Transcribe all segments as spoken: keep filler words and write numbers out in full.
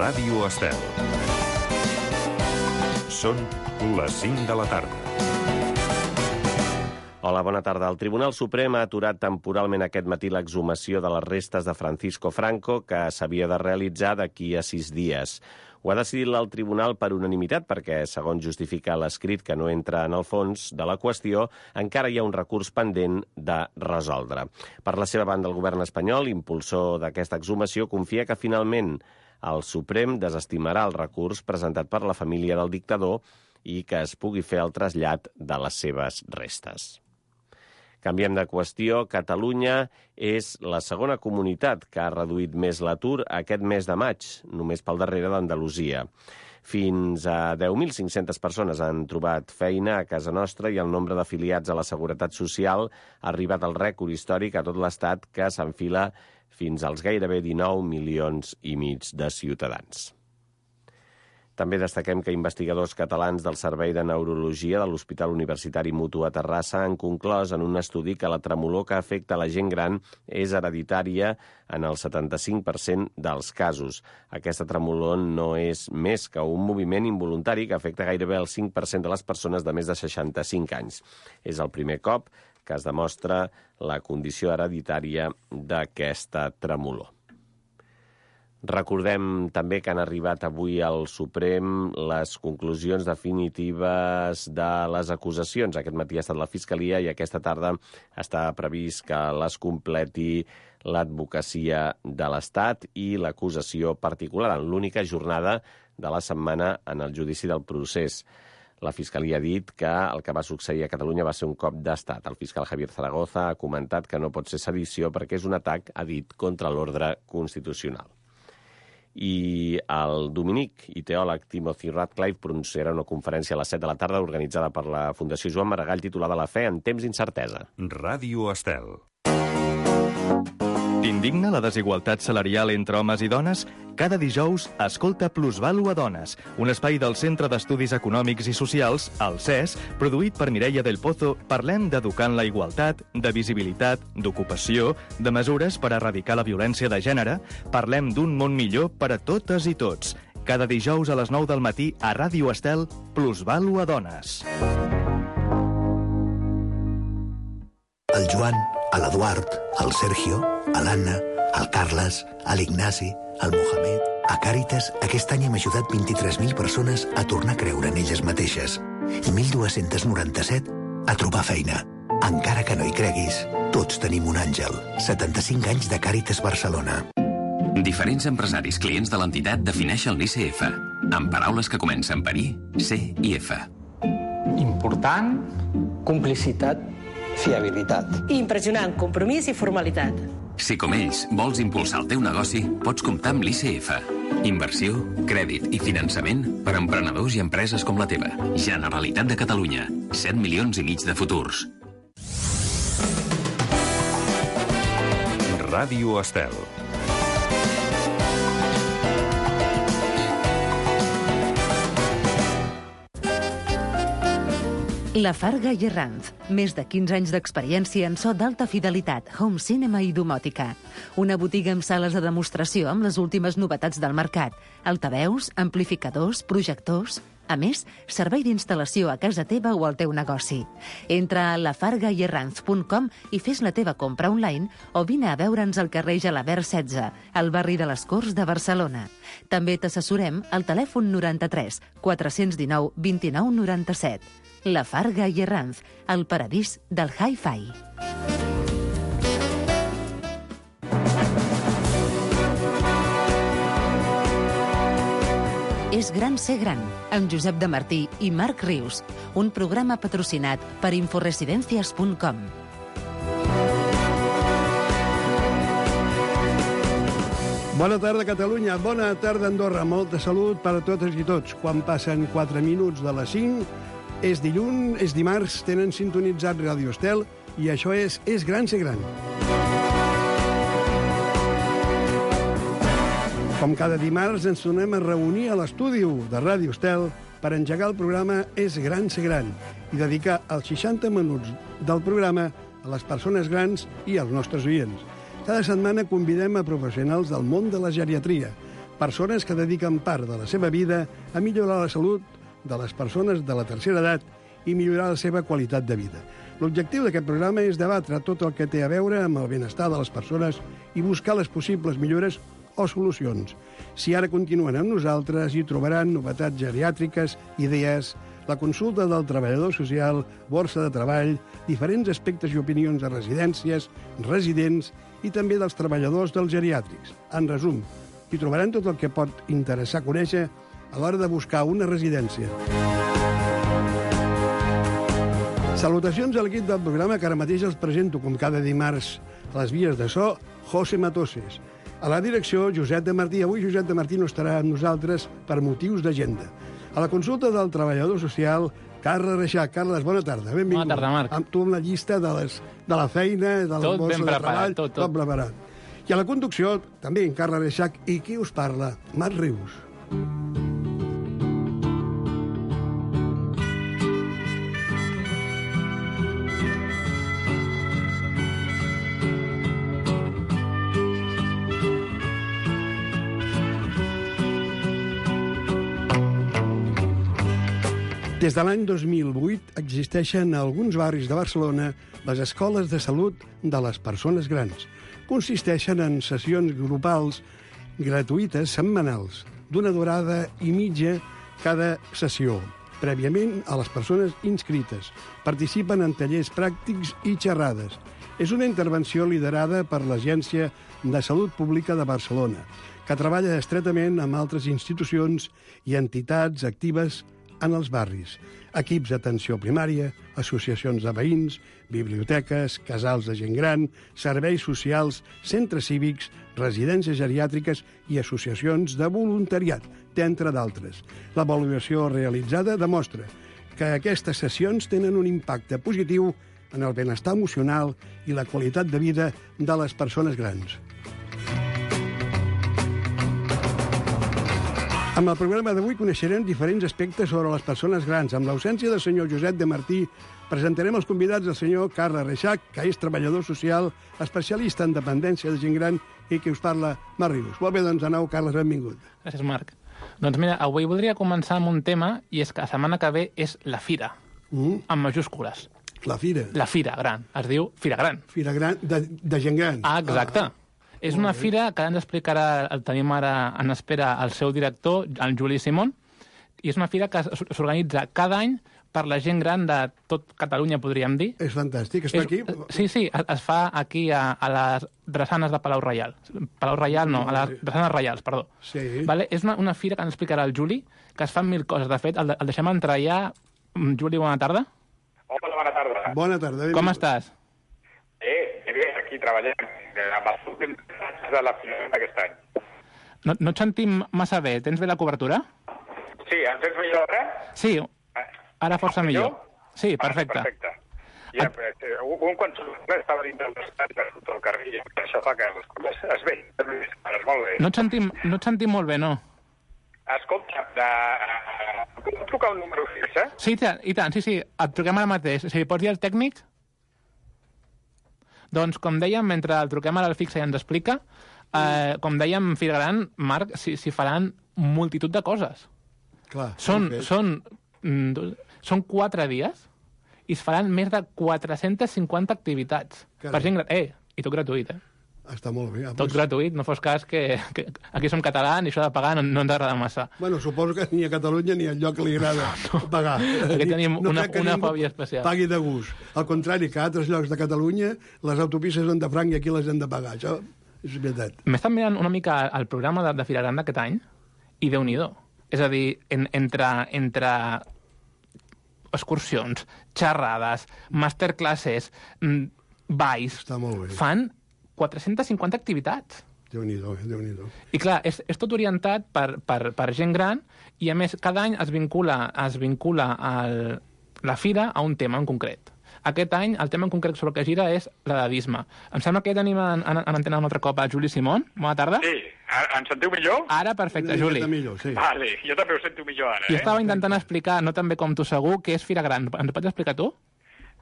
Ràdio Estel. Són les cinc de la tarda. Hola, bona tarda. El Tribunal Suprem ha aturat temporalment aquest matí l'exhumació de les restes de Francisco Franco, que s'havia de realitzar d'aquí a sis dies. Ho ha decidit el tribunal per unanimitat perquè, segons justifica l'escrit que no entra en el fons de la qüestió, encara hi ha un recurs pendent de resoldre. Per la seva banda, el govern espanyol, impulsor d'aquesta exhumació, confia que finalment el Suprem desestimarà el recurs presentat per la família del dictador i que es pugui fer el trasllat de les seves restes. Canviem de qüestió. Catalunya és la segona comunitat que ha reduït més l'atur aquest mes de maig, només pel darrere d'Andalusia. Fins a deu mil cinc-centes persones han trobat feina a casa nostra i el nombre d'afiliats a la Seguretat Social ha arribat al rècord històric a tot l'Estat, que s'enfila fins als gairebé dinou milions i mig de ciutadans. També destaquem que investigadors catalans del Servei de Neurologia de l'Hospital Universitari Mutu a Terrassa han conclòs en un estudi que la tremolor que afecta la gent gran és hereditària en el setanta-cinc per cent dels casos. Aquesta tremolor no és més que un moviment involuntari que afecta gairebé el cinc per cent de les persones de més de seixanta-cinc anys. És el primer cop que es demostra la condició hereditària d'aquesta tremolor. Recordem també que han arribat avui al Suprem les conclusions definitives de les acusacions. Aquest matí ha estat la Fiscalia i aquesta tarda està previst que les completi l'advocacia de l'Estat i l'acusació particular en l'única jornada de la setmana en el judici del procés. La Fiscalia ha dit que el que va succeir a Catalunya va ser un cop d'estat. El fiscal Javier Zaragoza ha comentat que no pot ser sedició perquè és un atac, ha dit, contra l'ordre constitucional. I el dominic i teòleg Timothy Radcliffe pronunciarà una conferència a les set de la tarda organitzada per la Fundació Joan Maragall titulada La fe en temps d'incertesa. Ràdio Estel. T'indigna la desigualtat salarial entre homes i dones? Cada dijous, escolta Plusvalua Dones, un espai del Centre d'Estudis Econòmics i Socials, el C E S, produït per Mireia del Pozo. Parlem d'educar en la igualtat, de visibilitat, d'ocupació, de mesures per erradicar la violència de gènere. Parlem d'un món millor per a totes i tots. Cada dijous a les nou del matí a Ràdio Estel, Plusvalua Dones. El Joan, l'Eduard, el Sergio, l'Anna, el Carles, l'Ignasi, el Mohamed... A Càritas, aquest any hem ajudat vint-i-tres mil persones a tornar a creure en elles mateixes i mil dos-cents noranta-set a trobar feina. Encara que no hi creguis, tots tenim un àngel. setanta-cinc anys de Càritas Barcelona. Diferents empresaris clients de l'entitat defineixen l'I C F, amb paraules que comencen per I, C i F. Important, complicitat, fiabilitat. Impressionant, compromís i formalitat. Si com ells vols impulsar el teu negoci, pots comptar amb l'I C F. Inversió, crèdit i finançament per a emprenedors i empreses com la teva. Generalitat de Catalunya. set milions i mig de futurs. Ràdio Estel. La Farga i Herranz. Més de quinze anys d'experiència en so d'alta fidelitat, home cinema i domòtica. Una botiga amb sales de demostració amb les últimes novetats del mercat. Altaveus, amplificadors, projectors... A més, servei d'instal·lació a casa teva o al teu negoci. Entra a la farga i herranz punt com i fes la teva compra online o vine a veure'ns al carrer Gelabert setze, al barri de les Corts de Barcelona. També t'assessorem al telèfon noranta-tres quatre-cents dinou vint-i-nou noranta-set. La Farga i Herranz, el paradís del hi-fi. És gran ser gran, amb Josep de Martí i Marc Rius, un programa patrocinat per inforesidencias punt com. Bona tarda, Catalunya. Bona tarda, Andorra. Molta salut per a totes i tots. Quan passen quatre minuts de les cinc, és dilluns, és dimarts, tenen sintonitzat Ràdio Estel i això és És gran ser gran. Com cada dimarts ens tornem a reunir a l'estudi de Ràdio Estel per engegar el programa És gran ser gran i dedicar els seixanta minuts del programa a les persones grans i als nostres oients. Cada setmana convidem a professionals del món de la geriatria, Persones que dediquen part de la seva vida a millorar la salut de les persones de la tercera edat i millorar la seva qualitat de vida. L'objectiu d'aquest programa és debatre tot el que té a veure amb el benestar de les persones i buscar les possibles millores o solucions. Si ara continuen amb nosaltres, hi trobaran novetats geriàtriques, idees, la consulta del treballador social, borsa de treball, diferents aspectes i opinions de residències, residents i també dels treballadors dels geriàtrics. En resum, hi trobaran tot el que pot interessar conèixer a l'hora de buscar una residència. Salutacions a l'equip del programa que ara mateix els presento, com cada dimarts, a les vies de so, José Matoses. A la direcció, Josep de Martí. Avui Josep de Martí no estarà amb nosaltres per motius d'agenda. A la consulta del treballador social, Carles Reixac. Carles, bona tarda, benvingut. Bona tarda, Marc. Amb tu amb la llista de, les, de la feina, de la tot borsa ben de preparat, treball, tot, tot. tot preparat. I a la conducció, també en Carles Reixac. I qui us parla? Marc Rius. Des de l'any dos mil vuit existeixen a alguns barris de Barcelona les escoles de salut de les persones grans. Consisteixen en sessions grupals gratuïtes setmanals, d'una durada i mitja cada sessió, prèviament a les persones inscrites. Participen en tallers pràctics i xerrades. És una intervenció liderada per l'Agència de Salut Pública de Barcelona, que treballa estretament amb altres institucions i entitats actives en els barris, equips d'atenció primària, associacions de veïns, biblioteques, casals de gent gran, serveis socials, centres cívics, residències geriàtriques i associacions de voluntariat, entre d'altres. L'avaluació realitzada demostra que aquestes sessions tenen un impacte positiu en el benestar emocional i la qualitat de vida de les persones grans. Amb el programa d'avui coneixerem diferents aspectes sobre les persones grans. Amb l'ausència del senyor Josep de Martí, presentarem els convidats del senyor Carles Reixac, que és treballador social, especialista en dependència de gent gran i que us parla Marc Rius. Molt bé, doncs, de nou, Carles, benvingut. Gràcies, Marc. Doncs mira, avui voldria començar amb un tema, i és que la setmana que ve és la Fira, mm. amb majúscules. La Fira? La Fira Gran. Es diu Fira Gran. Fira Gran, de, de gent gran. Ah, exacte. Ah. És una fira que ens explicarà, el tenim ara en espera el seu director, el Juli Simón, i és una fira que s'organitza cada any per la gent gran de tot Catalunya, podríem dir. És fantàstic, es fa és, aquí? Sí, sí, es fa aquí a, a les drassanes de Palau Reial. Palau Reial no, a les drassanes reials, perdó. Sí. Vale? És una, una fira que ens explicarà el Juli, que es fan mil coses. De fet, el, el deixem entrar ja. Juli, bona tarda. Hola, bona tarda. Bona tarda. Com estàs? Bé, bé, aquí treballem amb els últims de la final d'aquest any. No, no et sentim massa bé. Tens bé la cobertura? Sí, em sents millor ara? Sí, ara força millor. Sí, perfecte. Ah, perfecte. Ja, Et... un quan estava dins del estat i surt al carrer, i això fa que les coses es veien. És molt bé. No et sentim, no et sentim molt bé, no? Escolta, de... puc trucar un número fix, eh? Sí, i tant, sí, sí. Et truquem ara mateix. Si pots dir al tècnic... Doncs, com dèiem, mentre el truquem ara al fixe i ens explica, eh, com dèiem, Fira Gran, Marc, s'hi si faran multitud de coses. Clar. Són, són, són quatre dies i es faran més de quatre-centes cinquanta activitats. Carai. Per gent gran. Eh, i tot gratuït, eh? Està molt bé. Tot pues... gratuït, no fos cas que, que aquí som catalans i això de pagar no, no ens agrada massa. Bueno, suposo que ni a Catalunya ni al lloc que li agrada no, no. pagar. Aquí tenim no una, una fòbia especial. Pagui de gust. Al contrari, que a altres llocs de Catalunya les autopistes són de franc i aquí les hem de pagar. Això és veritat. M'he estat mirant una mica el programa de, de Fira Gran d'aquest any i Déu-n'hi-do. És a dir, en, entre, entre excursions, xerrades, masterclasses, balls, fan quatre-centes cinquanta activitats. Déu-n'hi-do, Déu-n'hi-do. I clar, és, és tot orientat per, per, per gent gran i a més cada any es vincula, es vincula el, la fira a un tema en concret. Aquest any el tema en concret sobre el que gira és l'edadisme. Em sembla que ja tenim en, en, en antena un altre cop a Juli Simón. Bona tarda. Sí, em sentiu millor? Ara, perfecte, Juli. Millor, sí. Vale, jo també ho sento millor ara. Jo eh? estava intentant explicar, no tan bé com tu segur, què és Fira Gran. Ens pots explicar tu?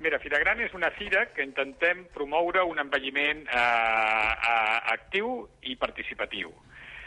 Mira, Fira Gran és una fira que intentem promoure un envelliment eh, eh, actiu i participatiu.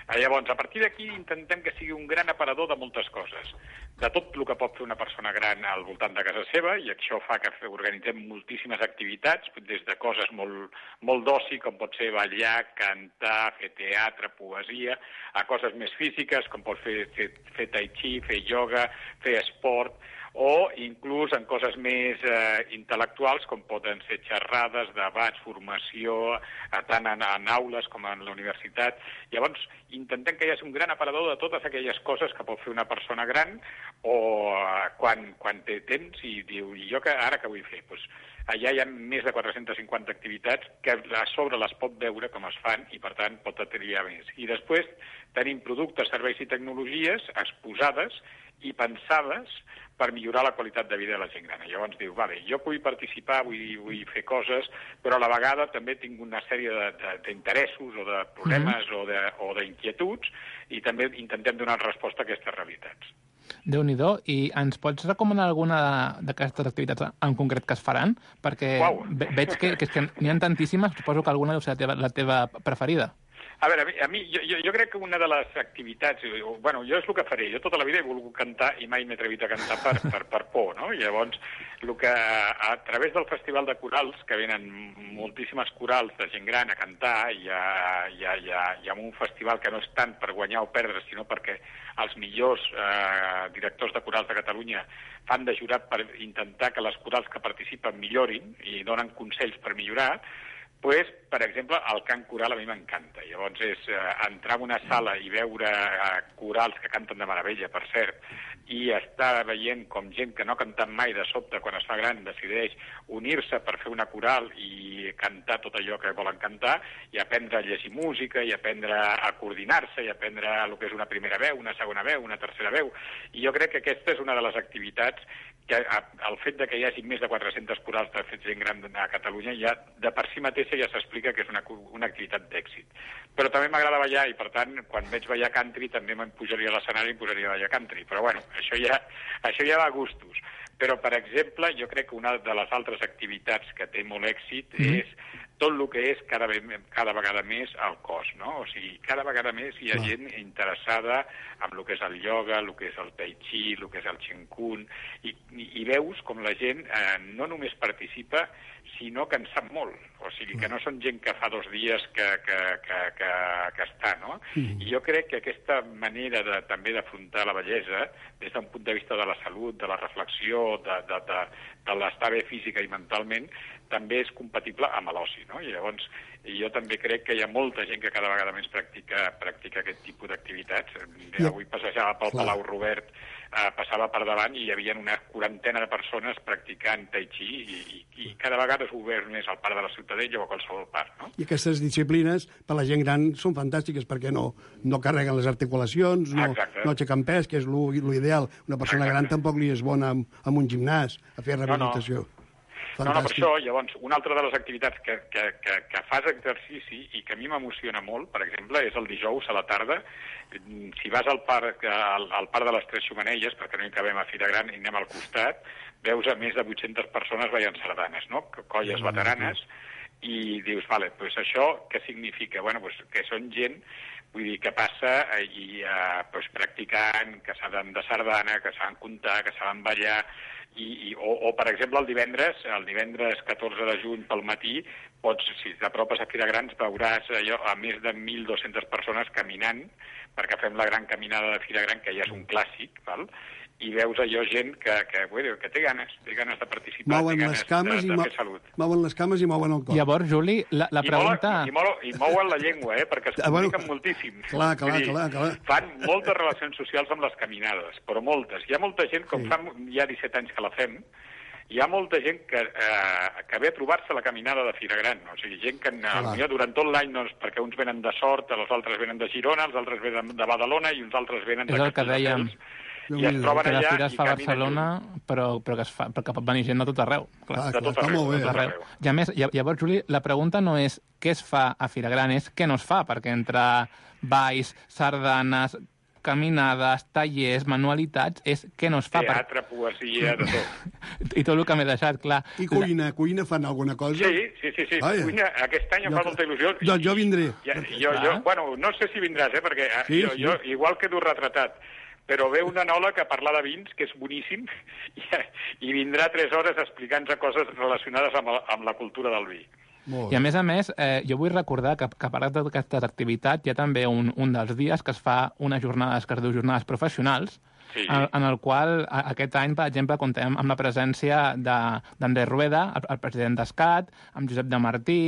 Llavors, a partir d'aquí intentem que sigui un gran aparador de moltes coses, de tot el que pot fer una persona gran al voltant de casa seva, i això fa que organitzem moltíssimes activitats, des de coses molt, molt d'oci, com pot ser ballar, cantar, fer teatre, poesia, a coses més físiques, com pot fer, fer, fer tai chi, fer ioga, fer esport, o inclús en coses més eh, intel·lectuals, com poden ser xerrades, debats, formació, eh, tant en, en aules com en la universitat. Llavors, intentem que hi hagi un gran aparador de totes aquelles coses que pot fer una persona gran o eh, quan, quan té temps i diu, i jo que, ara què vull fer? Pues, allà hi ha més de quatre-centes cinquanta activitats que a sobre les pot veure com es fan i, per tant, pot triar més. I després tenim productes, serveis i tecnologies exposades i pensades per millorar la qualitat de vida de la gent gran. Llavors diu, vale, jo vull participar, vull, vull fer coses, però a la vegada també tinc una sèrie d'interessos o de problemes mm-hmm. o d'inquietuds i també intentem donar resposta a aquestes realitats. Déu-n'hi-do, i ens pots recomanar alguna d'aquestes activitats en concret que es faran? Perquè ve veig que, que, que n'hi ha tantíssimes, suposo que alguna deu ser la teva, la teva preferida. A veure, a mi, a mi jo, jo crec que una de les activitats... Bueno, jo és el que faré. Jo tota la vida he volgut cantar i mai m'he atrevit a cantar per, per, per por, no? I llavors, el que, a través del Festival de Corals, que venen moltíssimes corals de gent gran a cantar, hi ha, hi ha, hi ha, hi ha un festival que no és tant per guanyar o perdre, sinó perquè els millors eh, directors de corals de Catalunya fan de jurat per intentar que les corals que participen millorin i donen consells per millorar. Pues, per exemple, el cant coral a mi m'encanta. Llavors és eh, entrar en una sala i veure eh, corals que canten de meravella, per cert, i estar veient com gent que no ha cantat mai de sobte, quan es fa gran, decideix unir-se per fer una coral i cantar tot allò que volen cantar, i aprendre a llegir música, i aprendre a coordinar-se, i aprendre el que és una primera veu, una segona veu, una tercera veu. I jo crec que aquesta és una de les activitats que el fet de que hi hagi més de quatre-centes corals de fet gent gran a Catalunya ja de per si mateixa ja s'explica que és una, una activitat d'èxit. Però també m'agrada ballar i, per tant, quan veig ballar country també me'n pujaria a l'escenari i em posaria a ballar country. Però, bueno, això ja, això ja va a gustos. Però, per exemple, jo crec que una de les altres activitats que té molt èxit mm. és tot el que és cada, cada vegada més el cos, no? O sigui, cada vegada més hi ha no. gent interessada en el que és el ioga, el que és el tai chi, el que és el Ching Kung, i, i, i veus com la gent eh, no només participa, sinó que en sap molt. O sigui, que no són gent que fa dos dies que, que, que, que, que està, no? Mm. I jo crec que aquesta manera de, també d'afrontar la bellesa, des d'un punt de vista de la salut, de la reflexió, de, de, de, de l'estar bé física i mentalment, també és compatible amb l'oci, no? I llavors, jo també crec que hi ha molta gent que cada vegada més practica, practica aquest tipus d'activitats. Ja. Avui passejava pel Clar. Palau Robert, eh, passava per davant i hi havia una quarantena de persones practicant tai chi i, i, i cada vegada és obert més al Parc de la Ciutadella o a qualsevol parc, no? I aquestes disciplines, per la gent gran, són fantàstiques perquè no, no carreguen les articulacions, no, no aixequen pes, que és l'ideal. Una persona Exacte. Gran tampoc li és bona amb, amb un gimnàs a fer rehabilitació. No, no. No, no, per això, llavors, una altra de les activitats que, que, que, que fas exercici i que a mi m'emociona molt, per exemple, és el dijous a la tarda. Si vas al parc, al, al parc de les Tres Xumanelles, perquè no hi cabem a Fira Gran i anem al costat, veus a més de vuit-centes persones ballant sardanes, no? Colles veteranes, i dius, vale, pues això què significa? Bueno, pues que són gent, vull dir, que passa i eh, pues, practicant, que saben de sardana, que saben comptar, que saben ballar, I, i, o, o, per exemple, el divendres, el divendres catorze de juny pel matí, pots, si t'apropes a Fira Grans, veuràs allò, a més de mil dues-centes persones caminant, perquè fem la gran caminada de Fira Gran, que ja és un clàssic, val? I veus allò gent que, que, bueno, que té ganes, té ganes de participar, mouen té ganes les cames de, de i fer salut. Mouen les cames i mouen el cor. Llavors, Juli, la, la I pregunta... Mouen, i, mouen, I mouen la llengua, eh, perquè es ah, bueno, comuniquen moltíssim. Clar, clar, dir, clar, clar. Fan moltes relacions socials amb les caminades, però moltes. Hi ha molta gent, com sí. fa ja disset anys que la fem, hi ha molta gent que, eh, que ve a trobar-se a la caminada de Fira Gran. O sigui, gent que potser durant tot l'any, doncs, perquè uns venen de Sort, els altres venen de Girona, els altres venen de Badalona i uns altres venen de... És el que dèiem... I es troben allà que la Fira es fa a Barcelona, però, però, que es fa, però que pot venir gent de tot arreu. Clar, de tot arreu, de tot arreu. I a més, llavors, Juli, la pregunta no és què es fa a Fira Gran, és què no es fa, perquè entre balls, sardanes, caminades, tallers, manualitats, és què no es fa. Teatre, per... poesia, de tot. I tot el que m'he deixat, clar. I cuina, cuina fan alguna cosa? Sí, sí, sí, sí. Ah, ja. Cuina, aquest any em Jo- fa molta il·lusió. Doncs jo vindré. Ja, jo, jo, bueno, no sé si vindràs, eh, perquè Sí, jo, sí. jo igual quedo retratat, però ve un enòleg a parlar de vins, que és boníssim, i, i vindrà tres hores explicant-nos coses relacionades amb, la- amb la cultura del vi. I a més a més, eh, jo vull recordar que, que a part d'aquestes activitats hi ha també un, un dels dies que es fa unes jornades que es diu jornades professionals, Sí. en, en el qual a, aquest any, per exemple, contem amb la presència d'Andrés Rueda, el, el president d'Escat, amb Josep de Martí,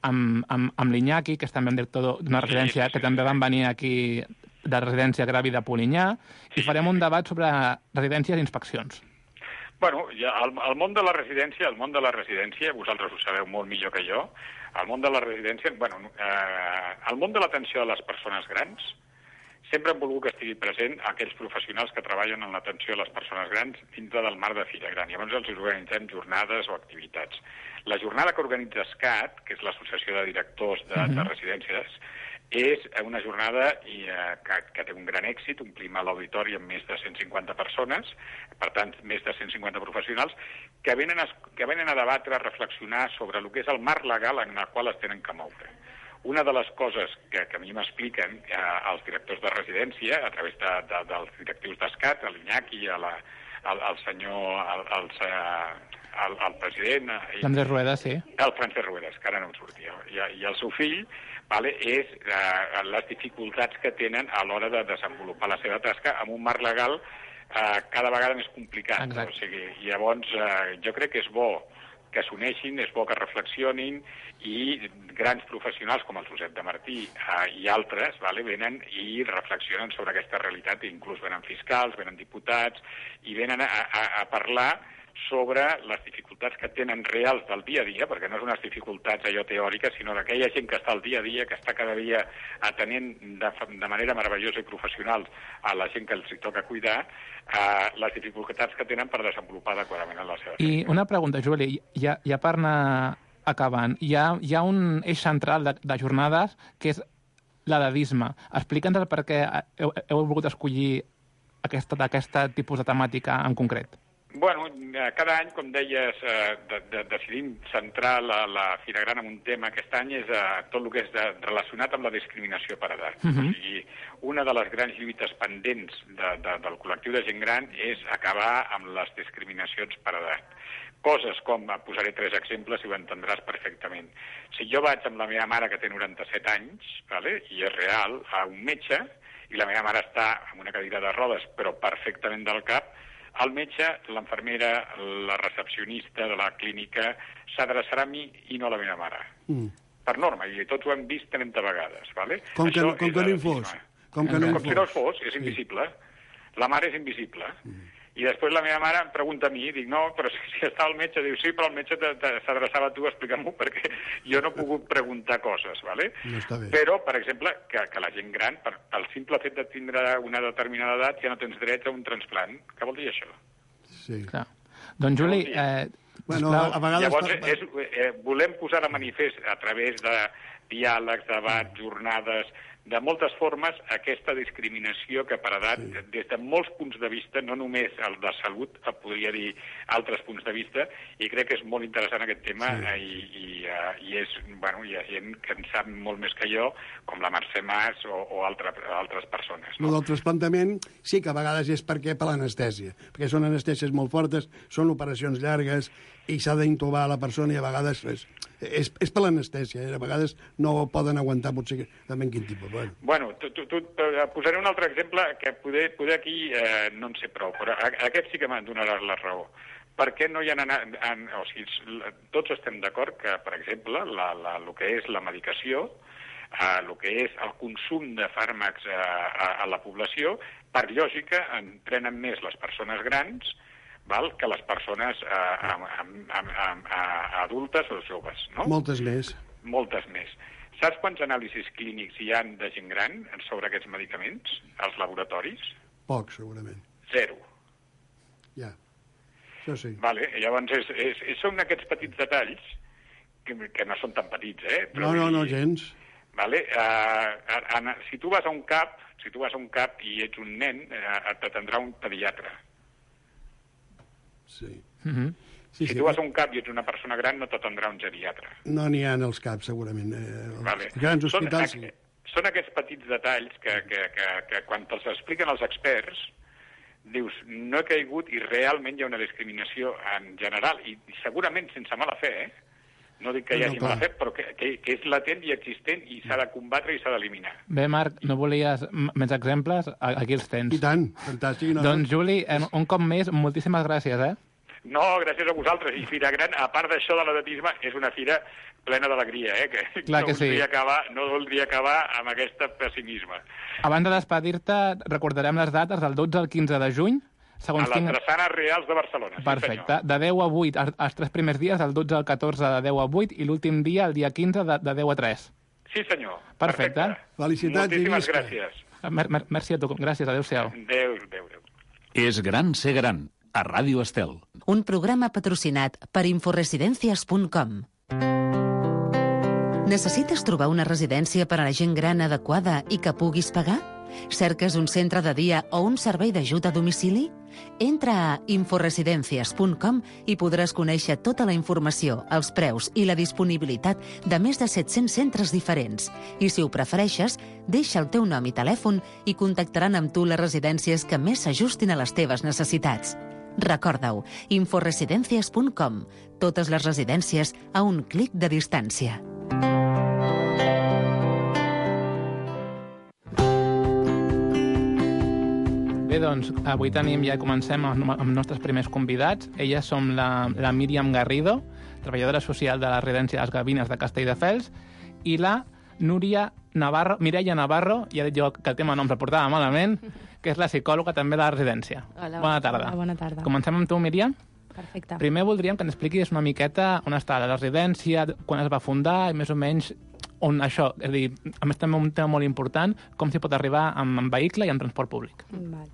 amb, amb, amb l'Iñaki, que és també un director d'una residència, que també van venir aquí de residència Gravi de Polinyà, i farem un debat sobre residències i inspeccions. Bueno, ja, el, el món de la residència, el món de la residència, vosaltres ho sabeu molt millor que jo, el món de la residència, bueno, eh, el món de l'atenció a les persones grans, sempre hem volgut que estigui present aquells professionals que treballen en l'atenció a les persones grans dintre del marc de Fira Gran. I llavors els organitzem jornades o activitats. La jornada que organitza ESCAT, que és l'Associació de Directors de, de Residències, és una jornada i, eh, que, que té un gran èxit, omplim a l'auditori amb més de cent cinquanta persones, per tant, més de cent cinquanta professionals, que venen a, que venen a debatre, a reflexionar sobre el que és el marc legal en el qual es tenen que moure. Una de les coses que, que a mi m'expliquen eh, els directors de residència, a través de, de, dels directius d'ESCAT, l'Iñaki, el, el senyor, el, el, el, el president... L'Andrés Rueda, sí. El Francesc Ruedas, que ara no em sortia. I, i el seu fill, vale, és eh, les dificultats que tenen a l'hora de desenvolupar la seva tasca amb un marc legal eh, cada vegada més complicat. Exacte. O sigui, llavors, eh, jo crec que és bo que s'uneixin, és bo que reflexionin i grans professionals com el Josep de Martí eh, i altres vale, venen i reflexionen sobre aquesta realitat, i inclús venen fiscals, venen diputats i venen a, a, a parlar sobre les dificultats que tenen reals del dia a dia, perquè no és unes dificultats allò teòriques, sinó d'aquella gent que està al dia a dia, que està cada dia atenent de, de manera meravellosa i professional a la gent que els toca cuidar, eh, les dificultats que tenen per desenvolupar adequadament en la seva feina. I una pregunta, Juli, ja, ja per anar acabant, hi ha, hi ha un eix central de, de jornades que és l'edadisme. Explica'ns el per què heu, heu volgut escollir aquesta, aquesta tipus de temàtica en concret. Bueno, cada any, com deies, eh, de, de, decidim centrar la, la Fira Gran en un tema. Aquest any és eh, tot el que és de, relacionat amb la discriminació per edat. Uh-huh. O sigui, una de les grans lluites pendents de, de, del col·lectiu de gent gran és acabar amb les discriminacions per edat. Coses com, posaré tres exemples i ho entendràs perfectament. Si jo vaig amb la meva mare, que té noranta-set anys, vale, i és real, a un metge, i la meva mare està en una cadira de rodes, però perfectament del cap, el metge, l'enfermera, la recepcionista de la clínica s'adreçarà a mi i no a la meva mare. Mm. Per norma, i tots ho hem vist trenta vegades. Vale? Com que, Això com que no hi fos. Com, que no com si no hi fos, fos, és invisible. La mare és invisible. Mm. I després la meva mare em pregunta a mi, i dic, no, però si, si està el metge, diu, sí, però el metge s'adreçava a tu, explica'm-ho, perquè jo no he pogut preguntar coses, ¿vale? No està bé. Però, per exemple, que, que la gent gran, per, pel simple fet de tindre una determinada edat, ja no tens dret a un transplant. Què vol dir això? Sí. Clar. Doncs, Juli, eh, bueno, a vegades... Llavors, és, eh, volem posar de manifest a través de diàlegs, debats, jornades, de moltes formes, aquesta discriminació que per edat, sí. des de molts punts de vista, no només el de salut, podria dir altres punts de vista, i crec que és molt interessant aquest tema, sí. i, i, uh, i és, bueno, hi ha gent que en sap molt més que jo, com la Mercè Mas o, o altre, altres persones. No? El del trasplantament sí que a vegades és perquè per l'anestèsia, perquè són anestèsies molt fortes, són operacions llargues, i s'ha d'intubar la persona i a vegades és, és, és per l'anestèsia, eh? A vegades no poden aguantar potser també en quin tipus. Bueno, bueno tu, tu, tu, posaré un altre exemple que poder, poder aquí eh, no en sé prou, però aquest sí que me'n donaràs la raó. Per què no hi ha anat... En, o sigui, tots estem d'acord que, per exemple, la, la, el que és la medicació, eh, el que és el consum de fàrmacs eh, a, a la població, per lògica, en prenen més les persones grans, val, que les persones eh, amb, amb, amb, amb, adultes o joves, no? Moltes més. Moltes més. Saps quants anàlisis clínics hi ha de gent gran sobre aquests medicaments als laboratoris? Poc, segurament. Zero. Ja, això sí. Vale, llavors és, és, és, són aquests petits detalls, que, que no són tan petits, eh? Però no, no, no, gens. Vale? Uh, en, si tu vas a un CAP, si tu vas a un CAP i ets un nen, uh, t'atendrà un pediatre. Sí. Mm-hmm. Sí, si sí, tu vas a un CAP i ets una persona gran, no t'atendrà un geriatre. No n'hi ha en els CAPs, segurament. Eh, els vale. grans hospitals, són, sí. Són aquests petits detalls que, que, que, que quan te'ls expliquen els experts, dius, no he caigut i realment hi ha una discriminació en general, i, i segurament sense mala fe, eh? No dic que hi hagi no, no, mala fe, però que, que, que és latent i existent i s'ha de combatre i s'ha d'eliminar. Bé, Marc, no volies més exemples? Aquí els tens. I tant, fantàstic. No? Doncs, Juli, un cop més, moltíssimes gràcies, eh? No, gràcies a vosaltres. I Fira Gran, a part d'això de l'atletisme, és una fira plena d'alegria, eh? Que Clar que no, voldria sí. acabar, no voldria acabar amb aquest pessimisme. Abans de despedir-te, recordarem les dates del dotze al quinze de juny. Segons a les tinc... Drassanes Reals de Barcelona. Perfecte. Sí, de deu a vuit, els tres primers dies, del dotze al catorze de deu a vuit, i l'últim dia, el dia quinze, de, de deu a tres. Sí, senyor. Perfecte. Perfecte. Felicitats i moltíssimes gràcies. Mer mer merci a tu. Gràcies. Adéu-siau. Adéu, adéu, adéu. És gran ser gran. A Ràdio Estel. Un programa patrocinat per inforesidencias punt com. Necessites trobar una residència per a la gent gran adequada i que puguis pagar? Cerques un centre de dia o un servei d'ajut a domicili? Entra a inforesidencias punt com i podràs conèixer tota la informació, els preus i la disponibilitat de més de set-cents centres diferents. I si ho prefereixes, deixa el teu nom i telèfon i contactaran amb tu les residències que més s'ajustin a les teves necessitats. Recorda-ho, inforesidencias punt com. Totes les residències a un clic de distància. Bé, doncs, avui tenim, ja comencem amb els nostres primers convidats. Elles som la, la Míriam Garrido, treballadora social de la residència Les Gavines de Castelldefels, i la Núria Navarro, Mireia Navarro, ja he dit jo que el tema no ens el portava malament, que és la psicòloga també de la residència. Hola, bona tarda. Hola, bona tarda. Comencem amb tu, Míriam. Perfecte. Primer voldríem que ens expliquis una miqueta on està la residència, quan es va fundar i més o menys on això, és a dir, a més també un tema molt important, com s'hi pot arribar amb, amb vehicle i amb transport públic. Val.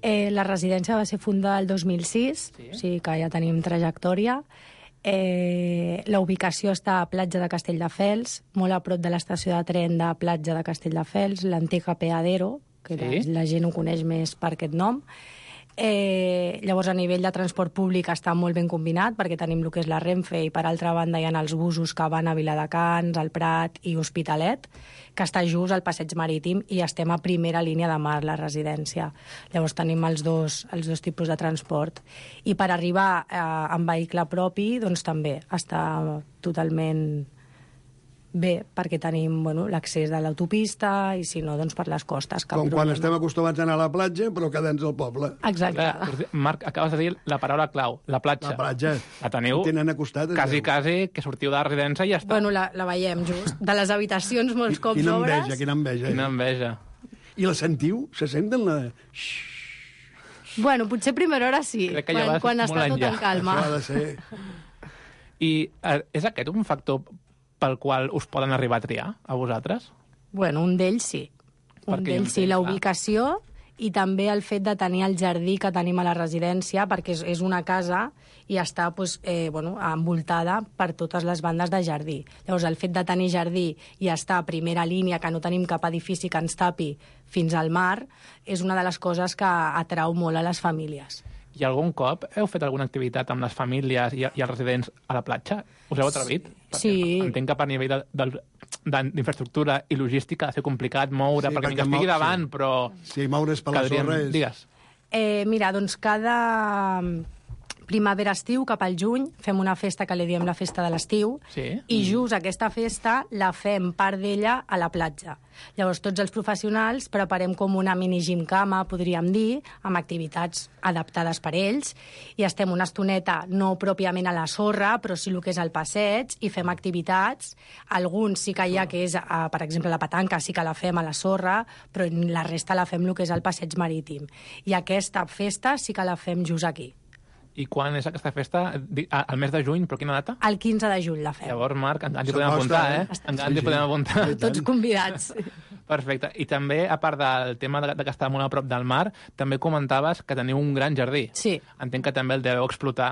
Eh, la residència va ser fundada el dos mil sis, sí? O sigui que ja tenim trajectòria. Eh, la ubicació està a Platja de Castelldefels, molt a prop de l'estació de tren de Platja de Castelldefels, l'antic apeadero, que sí? la, la gent ho coneix més per aquest nom. Eh, llavors, a nivell de transport públic està molt ben combinat, perquè tenim el que és la Renfe i, per altra banda, hi ha els busos que van a Viladecans, al Prat i Hospitalet, que està just al passeig marítim i estem a primera línia de mar, la residència. Llavors tenim els dos, els dos tipus de transport. I per arribar eh, amb vehicle propi, doncs també està totalment bé, perquè tenim bueno, l'accés de l'autopista i, si no, doncs per les costes. Com problema. Quan estem acostumats a anar a la platja, però quedant-nos al poble. Exacte. Clar, Marc, acabes de dir la paraula clau, la platja. La platja. La teniu tenen acostat, quasi, quasi, que sortiu de la residència i ja està. Bueno, la, la veiem just. De les habitacions molts cops quina obres. Enveja, quina enveja. Quina enveja. I la sentiu? Se senten la... Bueno, potser a primera hora sí, Crec que quan, ja quan està tot enllà. en calma. Això ha de ser... I eh, és aquest un factor pel qual us poden arribar a triar, a vosaltres? Bueno, un d'ells sí. Un d'ells sí, la ubicació i també el fet de tenir el jardí que tenim a la residència, perquè és, és una casa i està pues, eh, bueno, envoltada per totes les bandes de jardí. Llavors, el fet de tenir jardí i estar a primera línia, que no tenim cap edifici que ens tapi fins al mar, és una de les coses que atrau molt a les famílies. I algun cop heu fet alguna activitat amb les famílies i, i els residents a la platja? Us heu atrevit? Sí. Perquè entenc que per nivell d'infraestructura i logística ha de ser complicat moure, sí, perquè, perquè estigui davant, sí. Però... Sí, moure's per la sorra és... Digues. Eh, mira, doncs cada primavera-estiu, cap al juny, fem una festa que li diem la festa de l'estiu, sí? I just aquesta festa la fem part d'ella a la platja. Llavors, tots els professionals preparem com una mini-gimcama, podríem dir, amb activitats adaptades per ells, i estem una estoneta, no pròpiament a la sorra, però sí el que és al passeig, i fem activitats. Alguns sí que hi ha, que és, per exemple, la petanca, sí que la fem a la sorra, però la resta la fem el que és al passeig marítim. I aquesta festa sí que la fem just aquí. I quan és aquesta festa? Al mes de juny, però quina data? El quinze de juny la fem. Llavors, Marc, ens hi podem apuntar, eh? Ens hi sí, podem apuntar. Tots convidats. Perfecte. I també, a part del tema de, de que està molt a prop del mar, també comentaves que teniu un gran jardí. Sí. Entenc que també el deveu explotar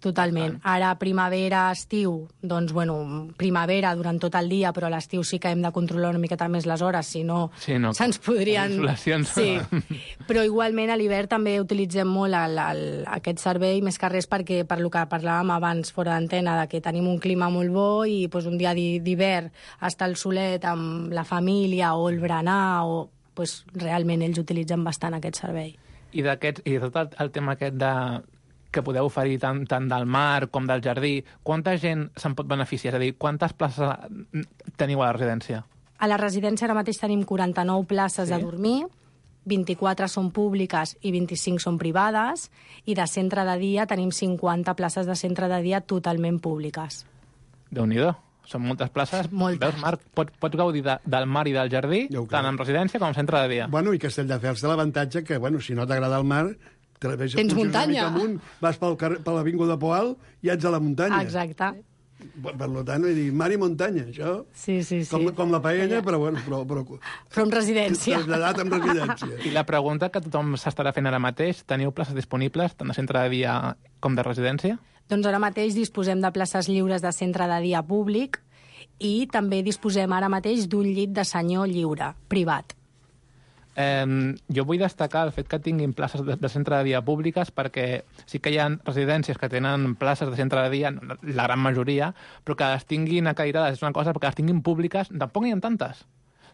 Totalment. Ara, primavera, estiu, doncs, bueno, primavera durant tot el dia, però a l'estiu sí que hem de controlar una miqueta més les hores, si no, sí, no se'ns podrien... Insolacions. Sí, però igualment a l'hivern també utilitzem molt el, el, aquest servei, més que res perquè, per lo que parlàvem abans fora d'antena, de que tenim un clima molt bo i pues, un dia d'hivern estar al solet amb la família o el berenar, o, pues, realment ells utilitzen bastant aquest servei. I, i de tot el, el tema aquest de que podeu oferir tant, tant del mar com del jardí, quanta gent se'n pot beneficiar? És a dir, quantes places teniu a la residència? A la residència ara mateix tenim quaranta-nou places sí? de dormir, vint-i-quatre són públiques i vint-i-cinc són privades, i de centre de dia tenim cinquanta places de centre de dia totalment públiques. Déu-n'hi-do. Són moltes places. Moltes. Veus, Marc, pots, pots gaudir de, del mar i del jardí, tant en residència com en centre de dia. Bueno, i Castelldefels té l'avantatge que, bueno, si no t'agrada el mar, te la veus, tens muntanya. Amunt, vas pel carrer, per l'Avinguda Poal i ets a la muntanya. Exacte. Per, per tant, vull dir, mar i muntanya, això... Sí, sí, sí. Com, com la paella, però, bueno, però... Però, però amb residència. Traslladat amb residència. I la pregunta que tothom s'estarà fent ara mateix, teniu places disponibles tant de centre de dia com de residència? Doncs ara mateix disposem de places lliures de centre de dia públic i també disposem ara mateix d'un llit de senyor lliure, privat. Eh, jo vull destacar el fet que tinguin places de, de centre de dia públiques perquè sí que hi ha residències que tenen places de centre de dia, la gran majoria, però que les tinguin acairades és una cosa, perquè les tinguin públiques tampoc n'hi ha tantes.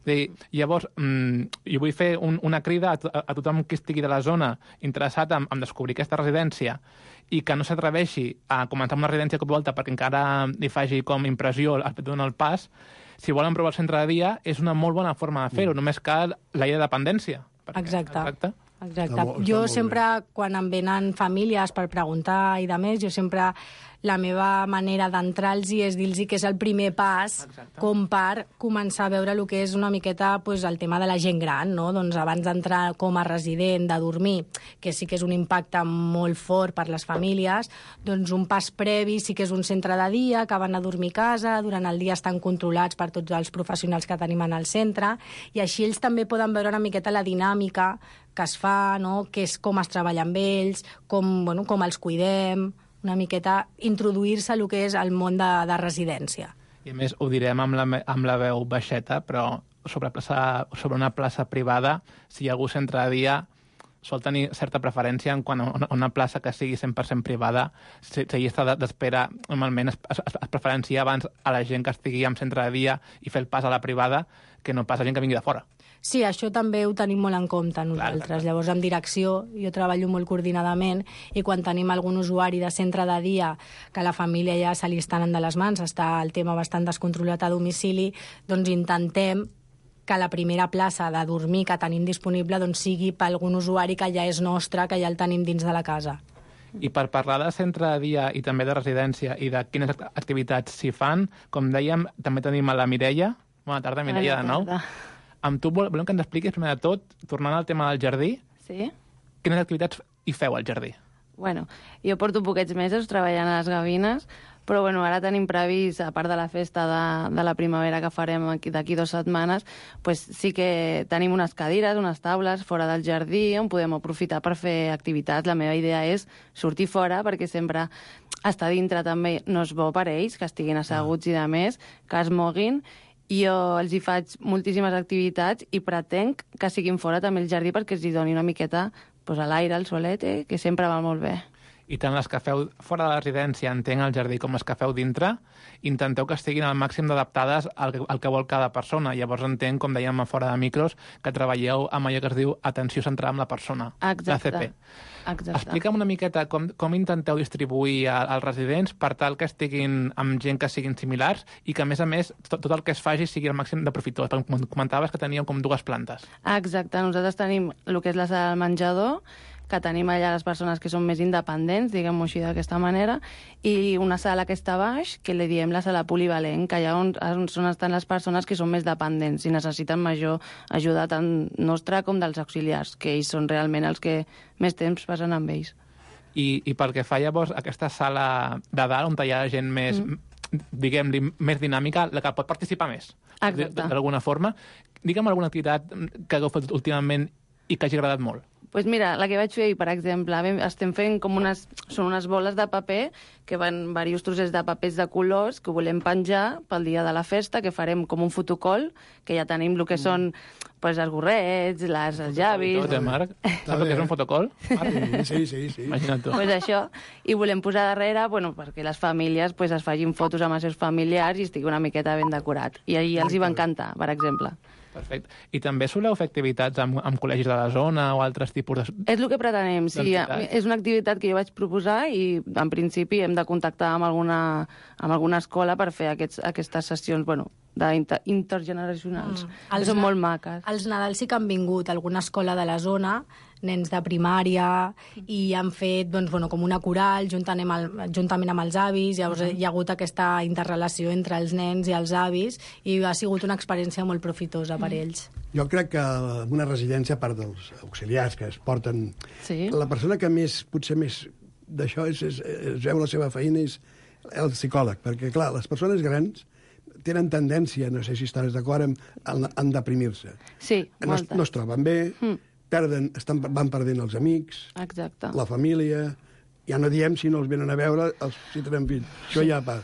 Dir, llavors, mmm, jo vull fer un, una crida a, a, a tothom que estigui de la zona interessat en, en descobrir aquesta residència i que no s'atreveixi a començar una residència cop i volta perquè encara li faci com impressió el fet de donar el pas. Si volen provar el centre de dia, és una molt bona forma de fer-ho, mm. només cal la llei de dependència. Perquè, exacte. exacte. Exacte. Està molt, jo està sempre, quan em venen famílies per preguntar i de més, jo sempre la meva manera d'entrar-los és dir-los que és el primer pas Exacte. Com per començar a veure el que és una miqueta pues, el tema de la gent gran, no? Doncs abans d'entrar com a resident, de dormir, que sí que és un impacte molt fort per les famílies, doncs un pas previ sí que és un centre de dia, que van a dormir a casa, durant el dia estan controlats per tots els professionals que tenim en el centre, i així ells també poden veure una miqueta la dinàmica que es fa, no? Que és com es treballa amb ells, com, bueno, com els cuidem, una miqueta introduir-se a el que és el món de, de residència. I a més, ho direm amb la, amb la veu baixeta, però sobre, plaça, sobre una plaça privada, si hi ha algú centre de dia, sol tenir certa preferència en quan una, una plaça que sigui cent per cent privada, si, si llista d'espera, normalment es, es, es preferencia abans a la gent que estigui en centre de dia i fer el pas a la privada que no pas a gent que vingui de fora. Sí, això també ho tenim molt en compte nosaltres. Clar, clar. Llavors, en direcció, jo treballo molt coordinadament i quan tenim algun usuari de centre de dia que la família ja se li estan de les mans, està el tema bastant descontrolat a domicili, doncs intentem que la primera plaça de dormir que tenim disponible doncs sigui per algun usuari que ja és nostre, que ja el tenim dins de la casa. I per parlar de centre de dia i també de residència i de quines activitats s'hi fan, com dèiem, també tenim a la Mireia. Bona tarda, Mireia, de nou. Amb tu volem que ens expliquis, primer de tot, tornant al tema del jardí, sí? Quines activitats hi feu al jardí? Bueno, jo porto poquets mesos treballant a les gavines, però bueno, ara tenim previst, a part de la festa de, de la primavera que farem d'aquí dues setmanes, pues sí que tenim unes cadires, unes taules fora del jardí on podem aprofitar per fer activitats. La meva idea és sortir fora, perquè sempre estar dintre també no és bo per ells, que estiguin asseguts i de més, que es moguin. Jo els hi faig moltíssimes activitats i pretenc que siguin fora també el jardí perquè els hi doni una miqueta pues, a l'aire, al solet, eh, que sempre va molt bé. I tant les que feu fora de la residència, entenc el jardí, com les que feu dintre, intenteu que estiguin al màxim d'adaptades al, que, al que vol cada persona. Llavors entenc, com dèiem a fora de micros, que treballeu amb allò que es diu atenció centrada en la persona, Exacte. l'A C P. Exacte. Explica'm una miqueta com, com intenteu distribuir als residents per tal que estiguin amb gent que siguin similars i que, a més a més, tot, tot el que es faci sigui al màxim de profitós. Comentaves que teníeu com dues plantes. Exacte. Nosaltres tenim el que és la sala del menjador, que tenim allà les persones que són més independents, diguem-ho així d'aquesta manera, i una sala que està baix, que li diem la sala polivalent, que allà on, on estan les persones que són més dependents i necessiten major ajuda tant nostra com dels auxiliars, que ells són realment els que més temps passen amb ells. I, i pel que fa llavors a aquesta sala de dalt, on hi ha gent més, mm. diguem-li, més dinàmica, la que pot participar més, d'alguna forma, digue'm alguna activitat que hagueu fet últimament i que hagi agradat molt. pues mira, la que vaig fer ahir, per exemple, estem fent com unes... Són unes boles de paper que van diversos trossets de papers de colors que volem penjar pel dia de la festa, que farem com un fotocol, que ja tenim el que són pues, els gorrets, les, els llavis... Tot, eh, Marc? Saps el que és un fotocol? Sí, sí, sí. Imagina't tu. Pues això, i volem posar darrere bueno, perquè les famílies pues, es facin fotos amb els seus familiars i estigui una miqueta ben decorat. I ahir els hi va encantar, per exemple. Perfecte. I també soleu fer activitats amb, amb col·legis de la zona o altres tipus de... És el que pretenem, sí. És una activitat que jo vaig proposar i, en principi, hem de contactar amb alguna, amb alguna escola per fer aquests, aquestes sessions, bueno, d'inter, intergeneracionals. Mm. Són molt maques. Els Nadals sí que han vingut a alguna escola de la zona, nens de primària, i han fet doncs, bueno, com una coral juntament amb, el, juntament amb els avis, llavors uh-huh. hi ha hagut aquesta interrelació entre els nens i els avis, i ha sigut una experiència molt profitosa per ells. Jo crec que una residència, a part dels auxiliars que es porten... Sí. La persona que més, potser més d'això és, és, es veu la seva feina és el psicòleg, perquè, clar, les persones grans tenen tendència, no sé si estaràs d'acord, en, en deprimir-se. Sí, no, moltes. No es troben bé, mm. perden, estan, van perdent els amics, exacte. La família, ja no diem si no els venen a veure, els, si tenen fills. Això ja pa,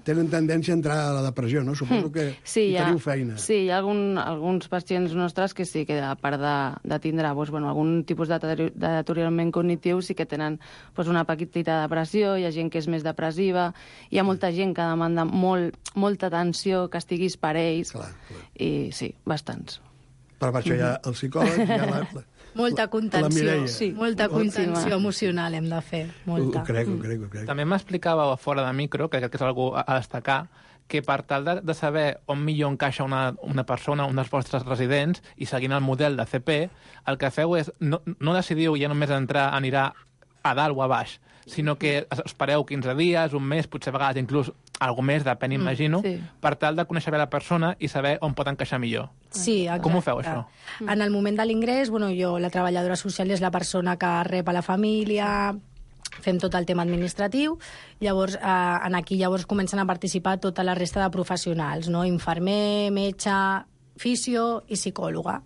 tenen tendència a entrar a la depressió, no? Suposo que sí, hi teniu ha, feina. Sí, hi ha algun, alguns pacients nostres que sí, que a part de, de tindre doncs, bueno, algun tipus de deteriorament cognitiu sí que tenen doncs, una petita depressió, hi ha gent que és més depressiva, hi ha molta gent que demanda molt, molta atenció, que estiguis per ells, clar, clar. I sí, bastants. Però per això hi ha el psicòleg, hi ha la, la, molta contenció, la sí, molta contenció emocional hem de fer, molta. Ho crec, ho crec, ho crec. També m'explicava fora de micro, que crec que és algú a destacar, que per tal de, de saber on millor encaixa una, una persona, un dels vostres residents, i seguint el model de C P, el que feu és, no, no decidiu ja només entrar, anirà a dalt o a baix, sinó que espereu quinze dies, un mes, potser a vegades inclús alguna més, depèn, imagino, mm, sí. per tal de conèixer bé la persona i saber on pot encaixar millor. Sí, exacte. Com ho feu, això? En el moment de l'ingrés, bueno, jo, la treballadora social és la persona que rep a la família, fem tot el tema administratiu, llavors eh, en aquí llavors comencen a participar tota la resta de professionals, no? Infermer, metge, fisio i psicòloga.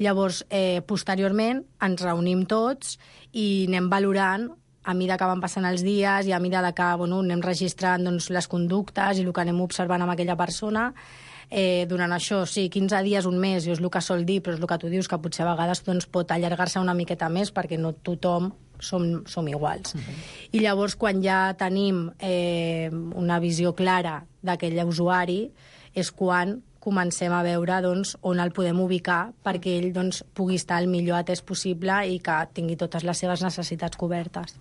Llavors, eh, posteriorment, ens reunim tots i anem valorant a mesura que van passant els dies i a mesura que bueno, anem registrant doncs, les conductes i el que anem observant amb aquella persona. Eh, durant això, sí, quinze dies, un mes, jo és el que sol dir, però és el que tu dius, que potser a vegades doncs, pot allargar-se una miqueta més perquè no tothom som, som iguals. Uh-huh. I llavors, quan ja tenim eh, una visió clara d'aquell usuari, és quan comencem a veure doncs, on el podem ubicar perquè ell doncs, pugui estar el millor atès possible i que tingui totes les seves necessitats cobertes.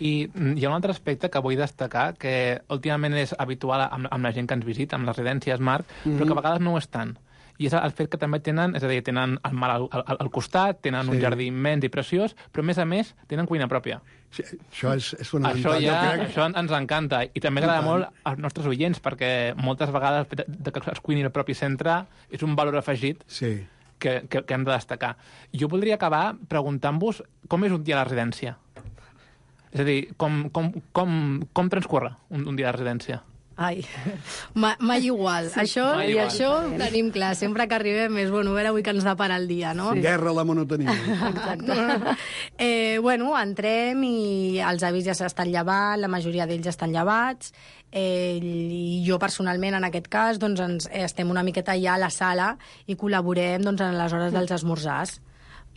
I hi ha un altre aspecte que vull destacar, que últimament és habitual amb, amb la gent que ens visita, amb les residències, Marc, mm-hmm. però que a vegades no ho és tant. I és el fet que també tenen, és a dir, tenen el mar al, al, al costat, tenen sí. un jardí immens i preciós, però a més a més tenen cuina pròpia. Sí, això és, és fonamental. Això, ja, crec... això ens encanta i també agrada molt als nostres oients perquè moltes vegades de, de que es cuini el propi centre és un valor afegit sí. que, que, que hem de destacar. Jo voldria acabar preguntant-vos com és un dia a la residència. És a dir, com, com, com, com transcorre un, un dia de residència? Ai, Ma, mai igual. Sí, això mai i igual. Això ho tenim clar. Sempre que arribem és, bueno, a veure avui que ens depara el dia, no? Sí. Guerra a la monotonia. Exacte. eh, bueno, entrem i els avis ja s'estan llevant, la majoria d'ells ja estan llevats, eh, i jo personalment, en aquest cas, doncs ens, estem una miqueta ja a la sala i col·laborem doncs, en les hores dels esmorzars.